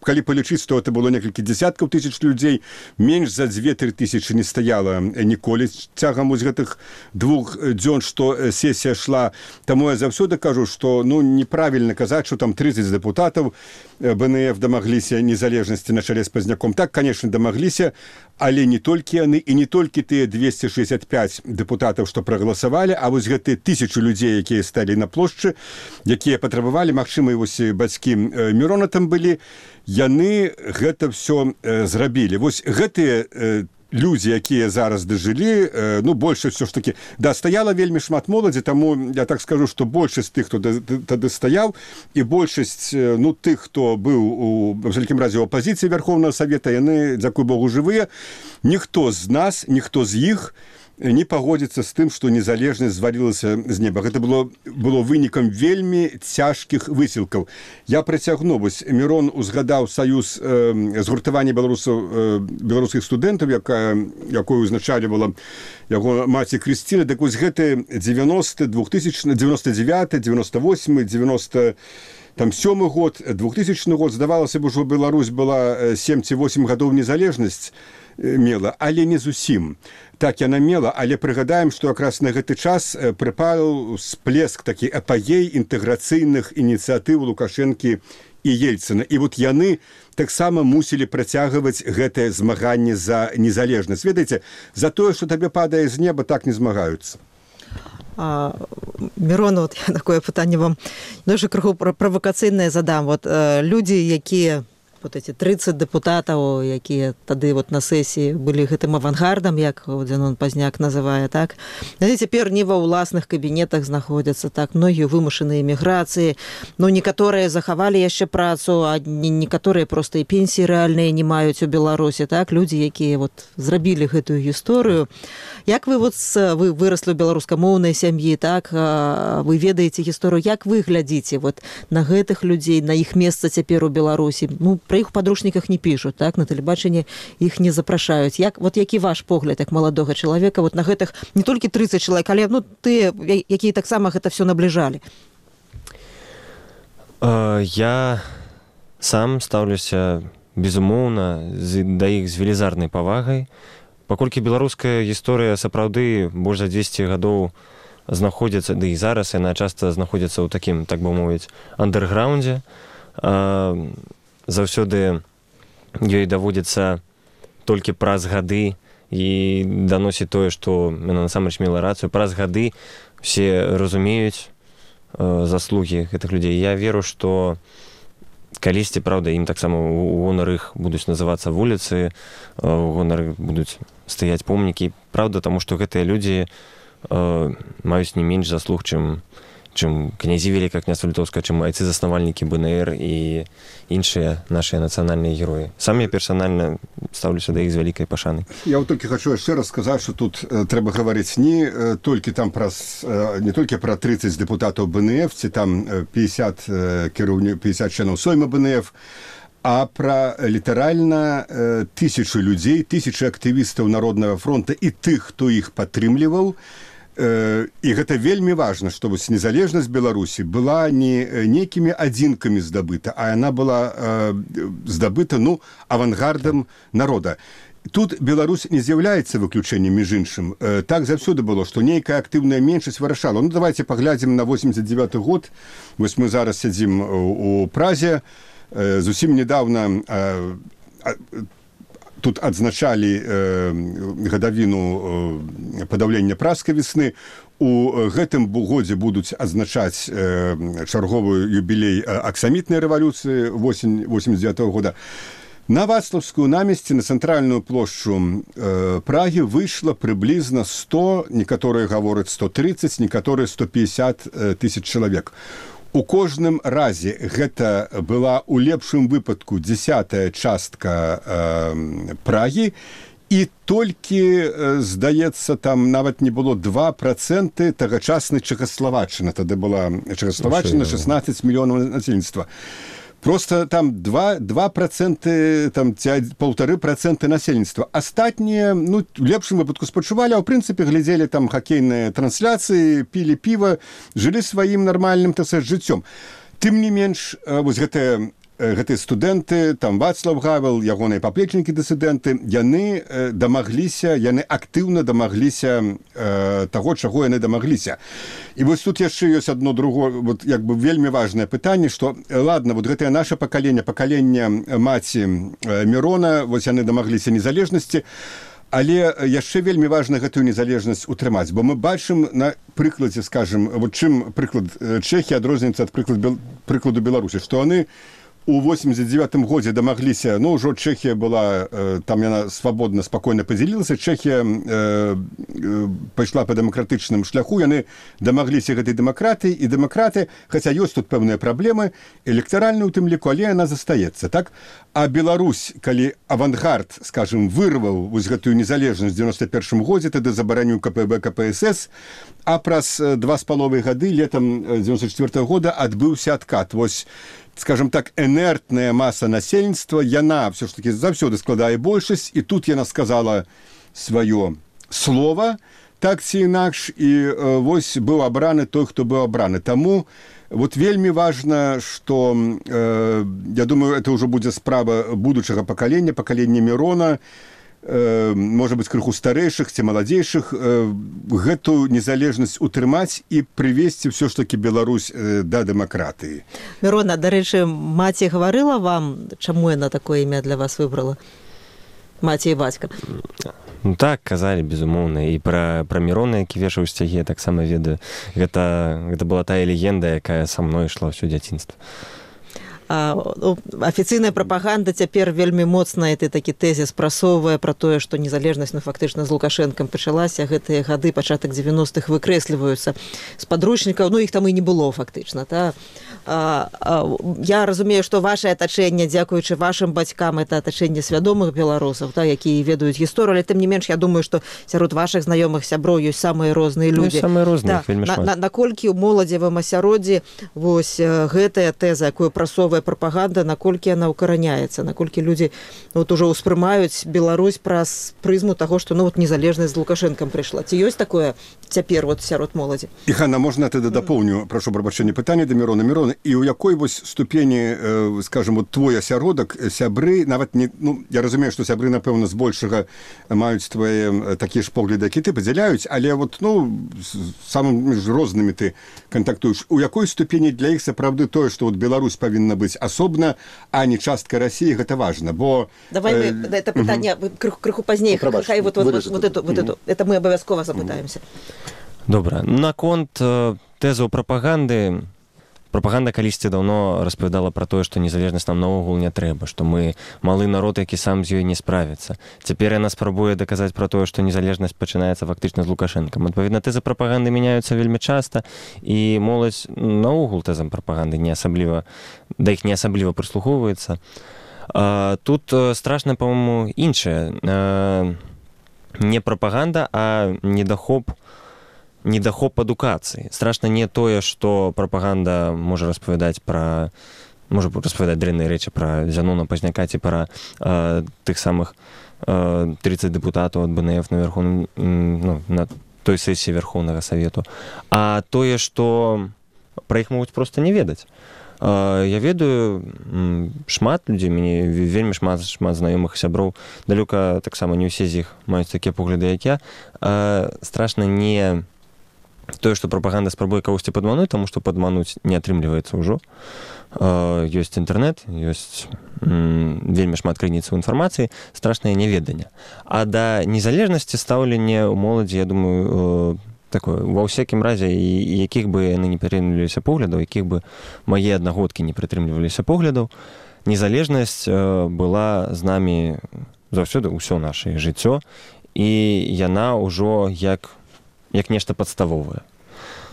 калі палічыць, то это было некалькі дзесяткаў тысяч людзей, менш за 2-3 тысячы не стаяла ніколі цягам вось гэтых 2 дзён, што сесія шла. Таму я заўсёды кажу, што неправільна казаць, што там 30 дэпутатаў БНФ дамагліся дамагліся незалежнасці на чале з Пазняком. Так, конечно, дамагліся, але не толькі яны і не толькі тыя 265 дэпутатаў, што прагаласавалі, а вось гэтыя 1000 людзей, якія сталі на плошчы, якія патрабавалі, магчыма, і вось бацькі Мірона там былі, яны гэта ўсё зрабілі. Вось гэтыя людзі, якія зараз дажылі, ну, большасць ўсё ж такі, да, стаяла вельмі шмат моладзі, таму я так скажу, што большасць тых, хто тады стаяў, і большасць, ну, тых, хто быў у абсалютным разе ў апазіцыі Вярхоўнага Савета, яны, дзякуй Богу, жывыя. Ніхто з нас, ніхто з іх не пагодзіцца з тым, што незалежнасць звалілася з неба. Гэта было вынікам вельмі цяжкіх высілкаў. Я працягну. Вось Мірон узгадаў саюз згуртавання беларускіх студэнтаў, якую узначальвала яго маці Крысціна. Так вось гэты 90, 2000, 99, 98, 97 год, 2000 год, здавалася б, ужо Беларусь была 7 ці 8 гадоў незалежнасць мела, але не зусім. Так яна мела, але прыгадаем, што якраз на гэты час прыпаў сплеск такі апагей інтэграцыйных ініцыятыў Лукашэнкі і Ельцына. І вот яны таксама мусілі працягваць гэтае змаганне за незалежнасць. Ведаеце, за тое, што табе падае з неба, так не змагаюцца. Мірон, вот я такое пытанне вам дуже крыху правакацыйнае задам. Вот людзі, якія вот эти 30 дэпутатаў, якія тады вот на сесіі былі гэтым авангардам, як Дзянон Пазняк называе, так? Яны цяпер не ва ўласных кабінетах знаходзяцца, так, многія вымушаныя эміграцыі, ну, некаторыя захавалі яшчэ працу, а некаторыя проста і пенсіі рэальныя не маюць у Беларусі, так? Людзі, якія вот зрабілі гэтую гісторыю. Як вы вот вы выраслі ў беларускамоўнай сям'і, так? Вы ведаеце гісторыю, як вы глядзіце вот на гэтых людзей, на іх месца цяпер у Беларусі? Ну, про іх у падручніках не пішуць, так, на тэлебачанні іх не запрашаюць. Як, вот які ваш погляд, як маладога чалавека, вот на гэтых не толькі 30 чалавек, але, ну, тыя, якія таксама гэта все набліжалі? Я сам стаўлюся, безумоўна, да іх з велізарнай павагай. Паколькі беларуская гісторыя сапраўды больш за 200 гадоў знаходзіцца, ды і зараз яна часта знаходзіцца ў такім, так бы мовіць, андэрграундзе, заўсёды ёй даводзіцца толькі праз гады і даносіць тое, што яна насамрэч мела рацыю. Праз гады все разумеюць заслугі гэтых людзей. Я веру, што калісьці, правда, ім таксама у гонар іх будуць называцца вуліцы, у гонар іх будуць стаяць помнікі. Правда, таму што гэтыя людзі маюць не менш заслуг, чым князі Великае княства Літоўскае, чым айцы-заснавальнікі БНР і іншыя нашыя нацыянальныя героі. Сам я персанальна стаўлюся да іх з вялікай пашанай. Я вот толькі хочу яшчэ раз сказаць, што тут трэба гаварыць не толькі там не толькі пра 30 дэпутатаў БНФ, ці там 50 членаў Сойма БНФ, а пра літаральна 1000 людзей, 1000 актывістаў Народнага фронта і тых, хто іх падтрымліваў. І гэта вельмі важна, што вось незалежнасць Беларусі была не нейкімі адзінкамі здабыта, а яна была здабыта, ну, авангардам народа. Тут Беларусь не з'яўляецца выключэннем, між іншым. Так заўсёды было, што нейкая актыўная меншасць вырашала. Ну, давайте паглядзім на 89 год. Вось мы зараз сядзім у Празе. Зусім недавно тут адзначалі гадавіну падаўлення пражскай весны. У гэтым годзе будуць адзначаць чарговы юбілей аксамітнай рэвалюцыі восень 89 года. На Вацлаўскую намесці, на цэнтральную плошчу Прагі выйшла прыблізна 100, некаторыя гавораць 130, некаторыя 150 тысяч чалавек. У кожным разе гэта была у лепшым выпадку 10-я частка Прагі, і толькі, здаецца, там нават не было 2% тагачаснай Чэхаславаччыны. Тады была Чэхаславаччына, 16 мільёнаў насельніцтва. Просто там 2%, там 1,5% насельніцтва. Астатнія, ну, в лепшым выпадку спачувалі, а ў прынцыпе глядзелі там хакейныя трансляцыі, пілі піва, жылі сваім нармальным, так сказаць, жыццём. Тым не менш, вось гэтая гэтыя студэнты, там Вацлав Гавел, ягоныя паплечнікі дысідэнты, яны актыўна дамагліся таго, чаго яны дамагліся. І вось тут яшчэ ёсць адно другое, вот, як бы вельмі важнае пытанне, што, ладно, вот гэтае наша пакаленне маці Мірона, вось яны дамагліся незалежнасці, але яшчэ вельмі важна гэтую незалежнасць утрымаць, бо мы бачым на прыкладзе, скажем, вот чым прыклад Чэхіі адрозніваецца ад прыкладу Беларусі, што яны у 89-м годзе дамагліся, ну, ўжо Чэхія была, там яна свабодна, спакойна падзялілася, Чэхія пайшла па дэмакратычным шляху, яны дамагліся гэтай дэмакратыі, і дэмакраты, хаця ёсць тут пэўныя праблемы, электаральны ў тым ліку, але яна застаецца, так? А Беларусь, калі авангард, скажем, вырваў вось гэтую незалежнасць в 91-м годзе, тады забараніў КПБ, КПСС, а праз 2,5 гады, летом 94-го года, адбыўся адкат. Вось, скажем так, инертная масса насельніцтва, яна все ж таки заўсёды складае большасць, і тут яна сказала сваё слово, так ці інакш, і вось быў абраны той, хто быў абраны. Таму вот вельмі важна, што, я думаю, это ўжо будзе справа будучага пакалення Мірона, можа быць, крыху старэйшых ці маладзейшых, гэту незалежнасць утрымаць і прывесці ўсё ж такі Беларусь да дэмакратыі. Мірона, дарэчы, маці гаварыла вам, чаму яна такое імя для вас выбрала? Маці і бацька. Ну так, казалі, безумоўна. І пра Мірона, які вешаў сцягі, я таксама ведаю. Гэта была тая легенда, якая са мной ішла ўсё дзяцінства. Афіцыйная прапаганда цяпер вельмі моцна такі тэзіс прасоўвае пра тое, што незалежнасць фактычна з Лукашэнкам пачалася, гэтыя гады, пачатак 90-х выкрэсліваюцца з падручнікаў, ну іх там і не было фактычна. Я разумею, што вашае атачэнне, дзякуючы вашым бацькам, это атачэнне свядомых беларусаў, якія ведаюць гісторыю, але тым не менш, я думаю, што сярод вашых знаёмых сяброў ёсць самыя розныя людзі. Самыя розныя, вельмі шмат. Наколькі ў моладзевым асяроддзі вось гэтая тэза, якую прасоўвае прапаганда, наколькі яна ўкараняецца, наколькі людзі вот ужо ўспрымаюць Беларусь праз прызму таго, што ну вот незалежнасць з Лукашэнкам прыйшла. Ці ёсць такое цяпер вот сярод моладзі? І Ганна, можна тады дапоўню, прашу прабачэння, пытанне да Мірона, і ў якой вось ступені, скажем, вот твой асяродак, сябры, нават не, ну, я разумею, што сябры, напэўна, збольшага маюць твае такія ж погляды, які ты падзяляюць, але вот, ну, самымі ж рознымі ты кантактуеш. У якой ступені для іх сапраўды тое, што вот Беларусь павінна быць асобна, а не частка России, гэта важно, бо... Давай мы это пытанне крыху пазней, хай вот эту, это мы абавязкова запытаемся. Добра. Наконт тэзаў прапаганды, прапаганда калісьці даўно распавядала пра тое, што незалежнасць нам наогул не трэба, што мы малы народ, які сам з ёй не справіцца. Цяпер яна спрабуе даказаць пра тое, што незалежнасць пачынаецца фактычна з Лукашэнкам. Адпаведна, тэзы прапаганды мяняюцца вельмі часта, і моладзь наогул тэзам прапаганды да іх не асабліва прыслухоўваецца. Тут страшна, па-моему, іншае. Не прапаганда, а недахоп адукацыі. Страшна не тое, што прапаганда можа распавядаць дрэнныя рэчы пра Зянона Пазняка ці пра тых самых 30 дэпутатаў ад БНФ на той сесіі Верхоўнага Савету, а тое, што пра іх могуць проста не ведаць. Я ведаю шмат людзей, мяне вельмі шмат знаёмых сяброў, далёка таксама не ўсе з іх маюць такія погляды, як я. Страшна не тое, што прапаганда спрабуе кагосьці падмануць, таму што падмануць не атрымліваецца ўжо. Ёсць інтэрнэт, ёсць вельмі шмат крыніцаў інфармацыі, страшнае няведанне. А да незалежнасці стаўленне ў моладзі, я думаю, такое, ва ўсякім разе, якіх бы яны не прытрымліваліся поглядаў, якіх бы мае аднагодкі не прытрымліваліся поглядаў, незалежнасць была з намі заўсёды ўсё нашае жыццё, і яна ўжо як нешта падставовае.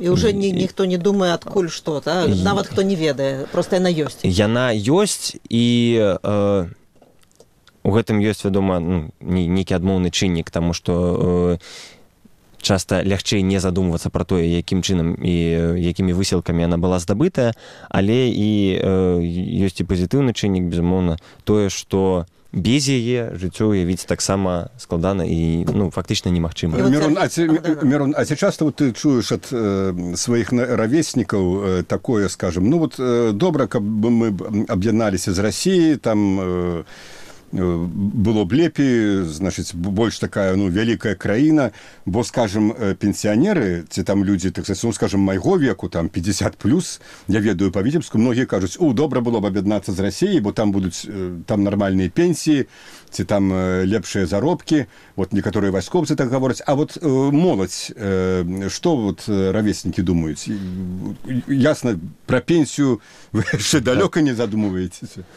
І ўжо ніхто не думае, адкуль што, нават хто не ведае, проста яна ёсць. Яна ёсць, і у гэтым ёсць, вядома, нейкі адмоўны чыннік, таму што часта лягчэй не задумвацца пра тое, якім чынам і якімі высілкамі яна была здабытая, але і ёсць і пазітыўны чыннік, безумоўна, тое, што без яе жыццё уявіць таксама складана і фактычна немагчыма. Мирон, а ці часто ты чуеш ад сваіх равеснікаў такое, скажем, добра, каб мы аб'ядналіся з Расіяй, там было б лепей, значыць, больш такая, вялікая краіна, бо, скажем, пенсіянеры, ці там людзі, так сказать, скажем, майго веку, там 50+, я ведаю па Віцебску, многія кажуць, добра было б аб'яднацца з Расіяй, бо там будуць там нармальныя пенсіі, ці там лепшыя заробкі, некаторыя вайскоўцы так гавораць, а моладзь, што равеснікі думаюць? Ясна, пра пенсію вы яшчэ далёка не задумваецеся?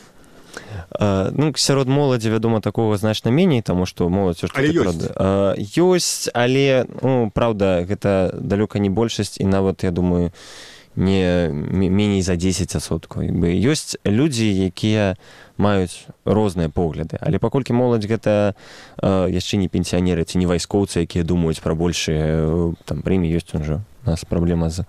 Сярод моладзі, вядома, такога значна меней, таму што моладзь ёсць, але праўда, гэта далёка не большасць, і нават, я думаю, не меней за 10%. Ёсць людзі, якія маюць розныя погляды, але паколькі моладзь гэта яшчэ не пенсіянеры ці не вайскоўцы, якія думаюць пра большыя прэміі, ёсць у нас праблема з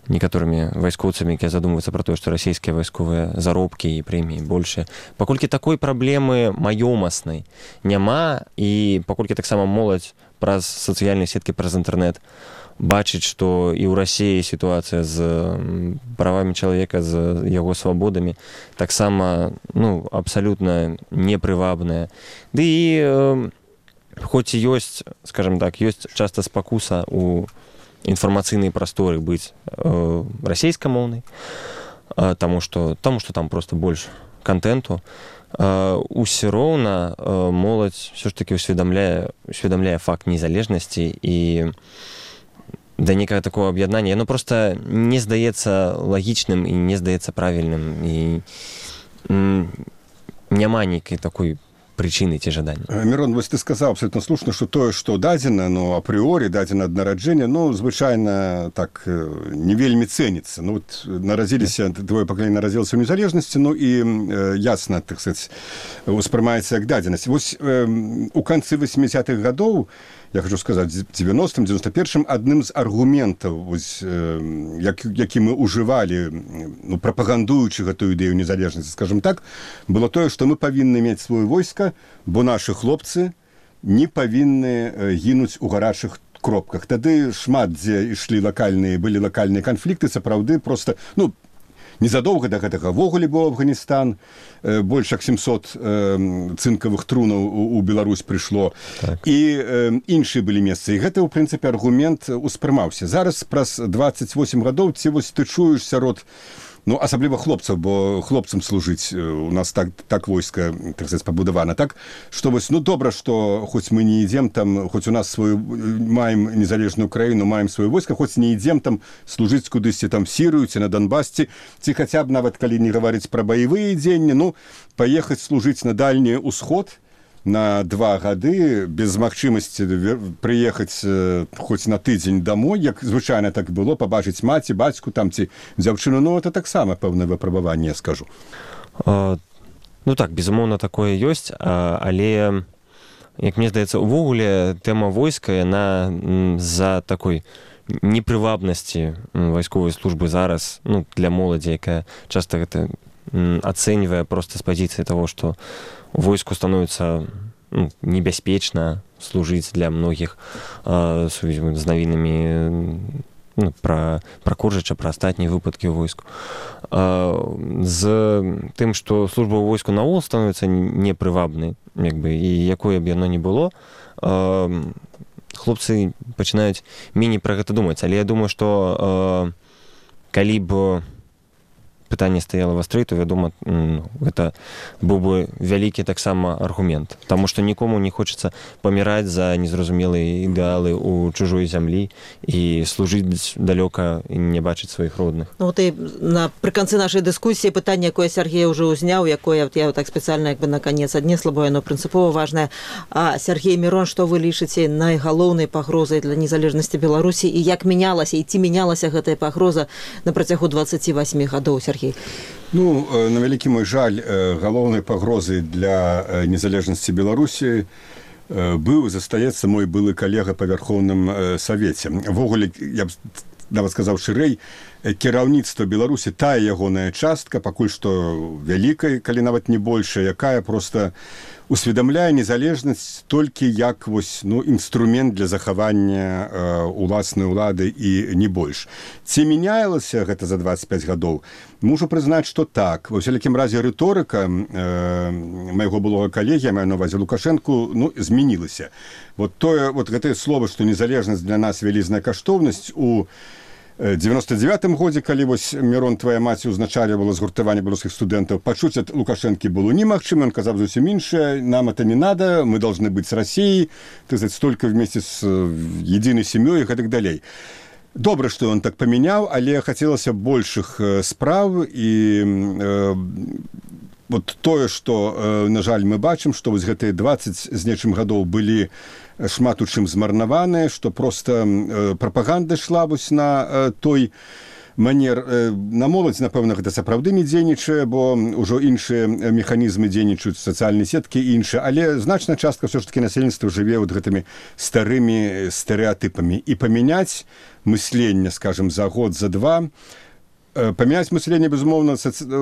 некаторымі вайскоўцамі, якія задумваюцца пра тое, што расійскія вайсковыя заробкі і прэміі большыя. Паколькі такой праблемы маёмаснай няма, і паколькі таксама моладзь праз сацыяльныя сеткі, праз інтэрнэт бачыць, што і ў Расіі сітуацыя з правамі чалавека, з яго свабодамі таксама абсалютна непрывабная. Ды і хоць і ёсць, скажам так, ёсць часта спакуса у інфармацыйнай прасторы быць расейскамоўнай, таму што там проста больш контенту, усё роўна моладзь ўсё ж такі усведамляе факт незалежнасці, і да некага такого аб'яднання яно проста не здаецца лагічным і не здаецца правільным, і няма нейкай такой причины ці жаданні. Мирон, ты сказаў абсолютно слушна, што тое, што дадзена, апрыорі дадзена ад нараджэння, звычайна так не вельмі цэніцца. Нарадзіліся, твоё пакаленне нарадзілася ў незалежнасці, і ясна, так сказать, успрымаецца як дадзенасць. У канцы 80-х гадоў, я хочу сказаць, 90-м, 91-м, адным з аргументаў, які мы ўжывалі, прапагандуючы гэтую ідэю незалежнасці, скажем так, было тое, што мы павінны мець сваё войска, бо нашы хлопцы не павінны гінуць у гарачых кропках. Тады шмат дзе былі лакальныя канфлікты, сапраўды проста, незадоўга да гэтага ввогуле быў Афганістан, больш як 700 цынкавых трунаў у Беларусь прыйшло, і іншыя былі месцы. І гэта, у прынцыпе, аргумент успрымаўся. Зараз, праз 28 гадоў, ці ты чуеш сярод, асабліва хлопцаў, бо хлопцам служыць у нас так войска, так сказать, пабудавана, так, што добра, што хоць мы не ідзем там, хоць у нас маем незалежную краіну, маем сваё войска, хоць не ідзем там служыць кудысьці там в Сірыю ці на Донбасці, ці хаця б нават калі не гаварыць пра баявыя дзеянні, паехаць служыць на Дальні Ўсход на 2 гады без магчымасці прыехаць хоць на тыдзень домой, як звычайна так было, пабачыць маці, бацьку там ці дзяўчыну, это таксама пэўнае выпрабаванне, я скажу. Так, безумоўна, такое ёсць, але, як мне здаецца, увогуле тэма войска, яна з-за такой непрывабнасці вайсковай службы зараз, для моладзі, якая часта гэта ацэньвае проста з пазіцыі таго, што войску становіцца небяспечна служыць для многіх з навінамі пра Коржыча, пра астатнія выпадкі ў войску. З тым, што служба ў войску наогул становіцца непрывабнай, і якое б яно не было, хлопцы пачынаюць меней пра гэта думаць. Але я думаю, што калі б пытанне стаяла вастрэй, то, вядома, гэта быў бы вялікі таксама аргумент. Таму што нікому не хочацца паміраць за незразумелыя ідэалы ў чужой зямлі і служыць далёка і не бачыць сваіх родных. Напрыканцы нашай дыскусіі пытанне, якое Сергей ўжо ўзняў, якое я так спецыяльна на канец аднесла, бо яно прынцыпова важнае. Сергей, Мирон, што вы лічыце найгалоўнай пагрозай для незалежнасці Беларусі, і як мянялася, і ці мянялася гэтая пагроза на працягу 28 гадоў, Сергей? На вялікі мой жаль, галоўнай пагрозай для незалежнасці Беларусі быў і застаецца мой былы калега па Вярхоўным Савеце. Ввогуле, я б нават сказаў шырэй, кіраўніцтва Беларусі, тая ягоная частка, пакуль што вялікая, калі нават не большая, якая проста усведамляе незалежнасць толькі як вось, інструмент для захавання уласнай улады і не больш. Ці мяняілася гэта за 25 гадоў? Мушу прызнаць, што так. Ва ўсялякім разе рыторыка майго былога калегі, я маю на ўвазе Лукашэнку, змянілася. Вот гэтае слово, што незалежнасць для нас вялізная каштоўнасць у 99-м годзе, калі вось Мірон, твая маці, узначальвала згуртаванне беларускіх студэнтаў, пачуць ад Лукашэнкі было немагчыма, ён казаў зусім іншае, нам это не надо, мы должны быть с Россией, столько вместе с единой семьей и так далей. Добра, што ён так памяняў, але хацелася большых спраў і вот тое, што, на жаль, мы бачым, што вось гэтыя 20 з нечым гадоў былі шмат у чым змарнаваныя, што проста прапаганда ішла вось на той манер. На моладзь, напэўна, гэта сапраўды не дзейнічае, бо ўжо іншыя механізмы дзейнічаюць, сацыяльныя сеткі і іншыя, але значная частка ўсё ж такі насельніцтва жыве вот гэтымі старымі стэрэатыпамі. І памяняць мысленне, скажем, за год, за два, памяняць мысленне, безумоўна,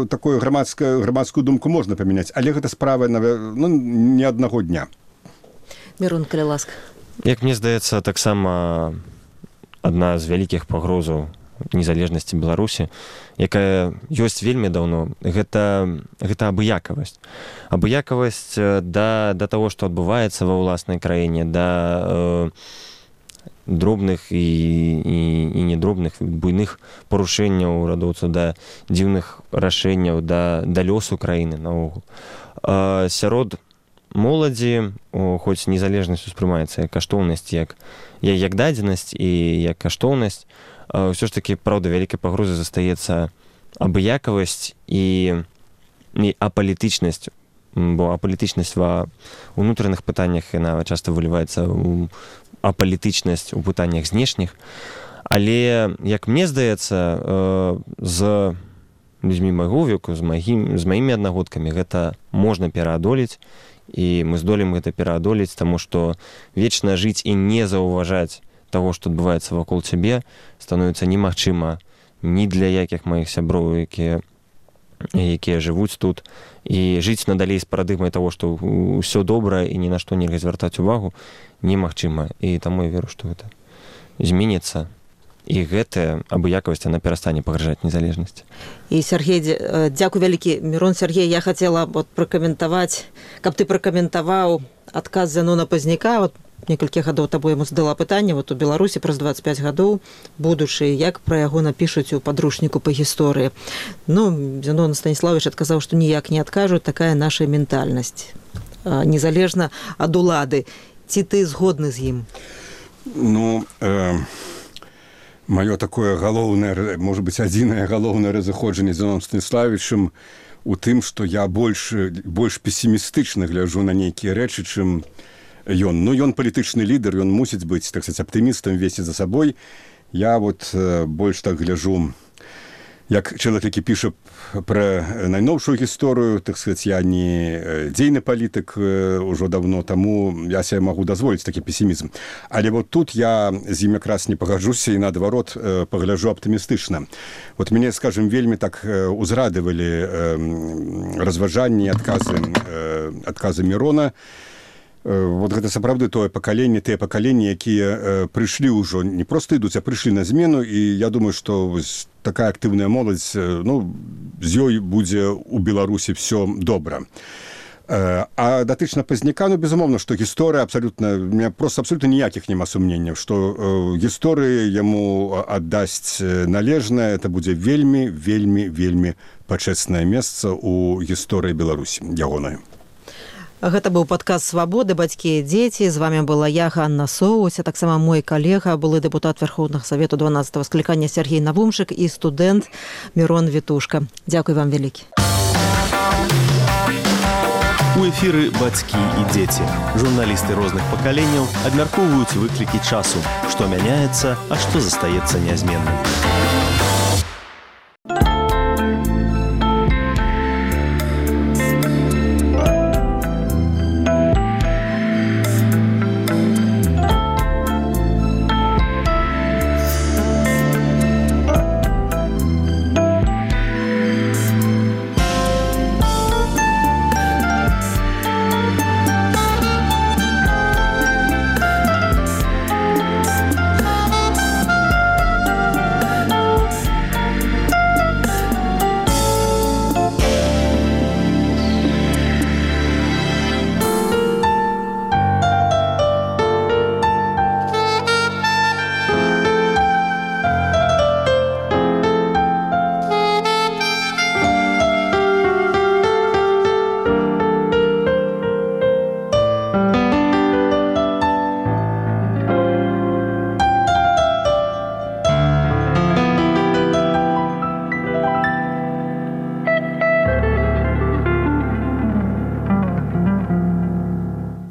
такую грамадскую думку можна памяняць, але гэта справа не аднаго дня. Мірон, калі ласка. Як мне здаецца, таксама адна з вялікіх пагрозаў незалежнасці Беларусі, якая ёсць вельмі даўно, гэта абыякавасць. Абыякавасць да таго, што адбываецца ва ўласнай краіне, да дробных і недробных, буйных парушэнняў урадоўцаў, да дзіўных рашэнняў, да лёсу краіны наогул. Сярод моладзі, хоць незалежнасць успрымаецца як каштоўнасць, як дадзенасць і як каштоўнасць, ўсё ж такі, праўда, вялікай пагрозай застаецца абыякавасць і апалітычнасць, бо апалітычнасць ва ўнутраных пытаннях, яна часта выліваецца ў апалітычнасць у пытаннях знешніх. Але, як мне здаецца, з людзьмі майго веку, з маімі аднагодкамі гэта можна пераадолець, і мы здолеем гэта пераадолець, таму што вечна жыць і не заўважаць таго, што адбываецца вакол цябе, становіцца немагчыма ні для якіх маіх сяброў, якія жывуць тут, і жыць надалей з парадыгмай таго, што ўсё добра і ні на што нельга звяртаць увагу, немагчыма. І таму я веру, што гэта зменіцца. І гэтая абыякавасць, яна перастане пагражаць незалежнасці. І, Сергей, дзякуй вялікі. Мірон, Сергей, я хацела пракаментаваць, каб ты пракаментаваў адказ Зянона Пазняка. Некалькі гадоў табой яму задала пытанне, у Беларусі праз 25 гадоў будучы, як пра яго напішуць у падручніку па гісторыі. Зянон Станіславович адказаў, што ніяк не адкажуць, такая наша ментальнасць, незалежна ад улады. Ці ты згодны з ім? Маё такое галоўнае, можа быць, адзінае галоўнае разыходжанне з Зяноном Станіславовичам у тым, што я больш песімістычна гляджу на нейкія рэчы, чым ён. Ён палітычны лідар, ён мусіць быць, так сказаць, аптымістам, весці за сабой. Я больш так гляджу, як чалавек, які піша пра найноўшую гісторыю, так сказаць, я не дзейны палітык ужо давно, таму я себе магу дазволіць такі песімізм. Але тут я з ім якраз не пагаджуся і наадварот пагляджу аптымістычна. Мяне, скажем, вельмі так узрадавалі разважанні, адказы Мірона. Гэта сапраўды тыя пакаленні, якія прыйшлі ўжо, не проста ідуць, а прыйшлі на змену, і я думаю, што такая актыўная моладзь, з ёй будзе ў Беларусі все добра. А датычна Пазняка, безумоўна, што гісторыя абсалютна, у меня просто абсолютно ніякіх няма сумненняў, што гісторыя яму аддасць належнае, это будзе вельмі, вельмі, вельмі пачэснае месца ў гісторыі Беларусі, ягонай. Гэта быў падкаст «Свабоды. Бацькі і дзеці». З вами была я, Ганна Соўся, таксама мой калега, былы дэпутат Верховнага Савету 12-го склікання Сергей Навумшык і студэнт Мірон Вітушка. Дзякуй вам вялікі. У эфіры «Бацькі і дзеці». Журналісты розных пакаленняў абмяркоўваюць выклікі часу, што мяняецца, а што застаецца нязменным.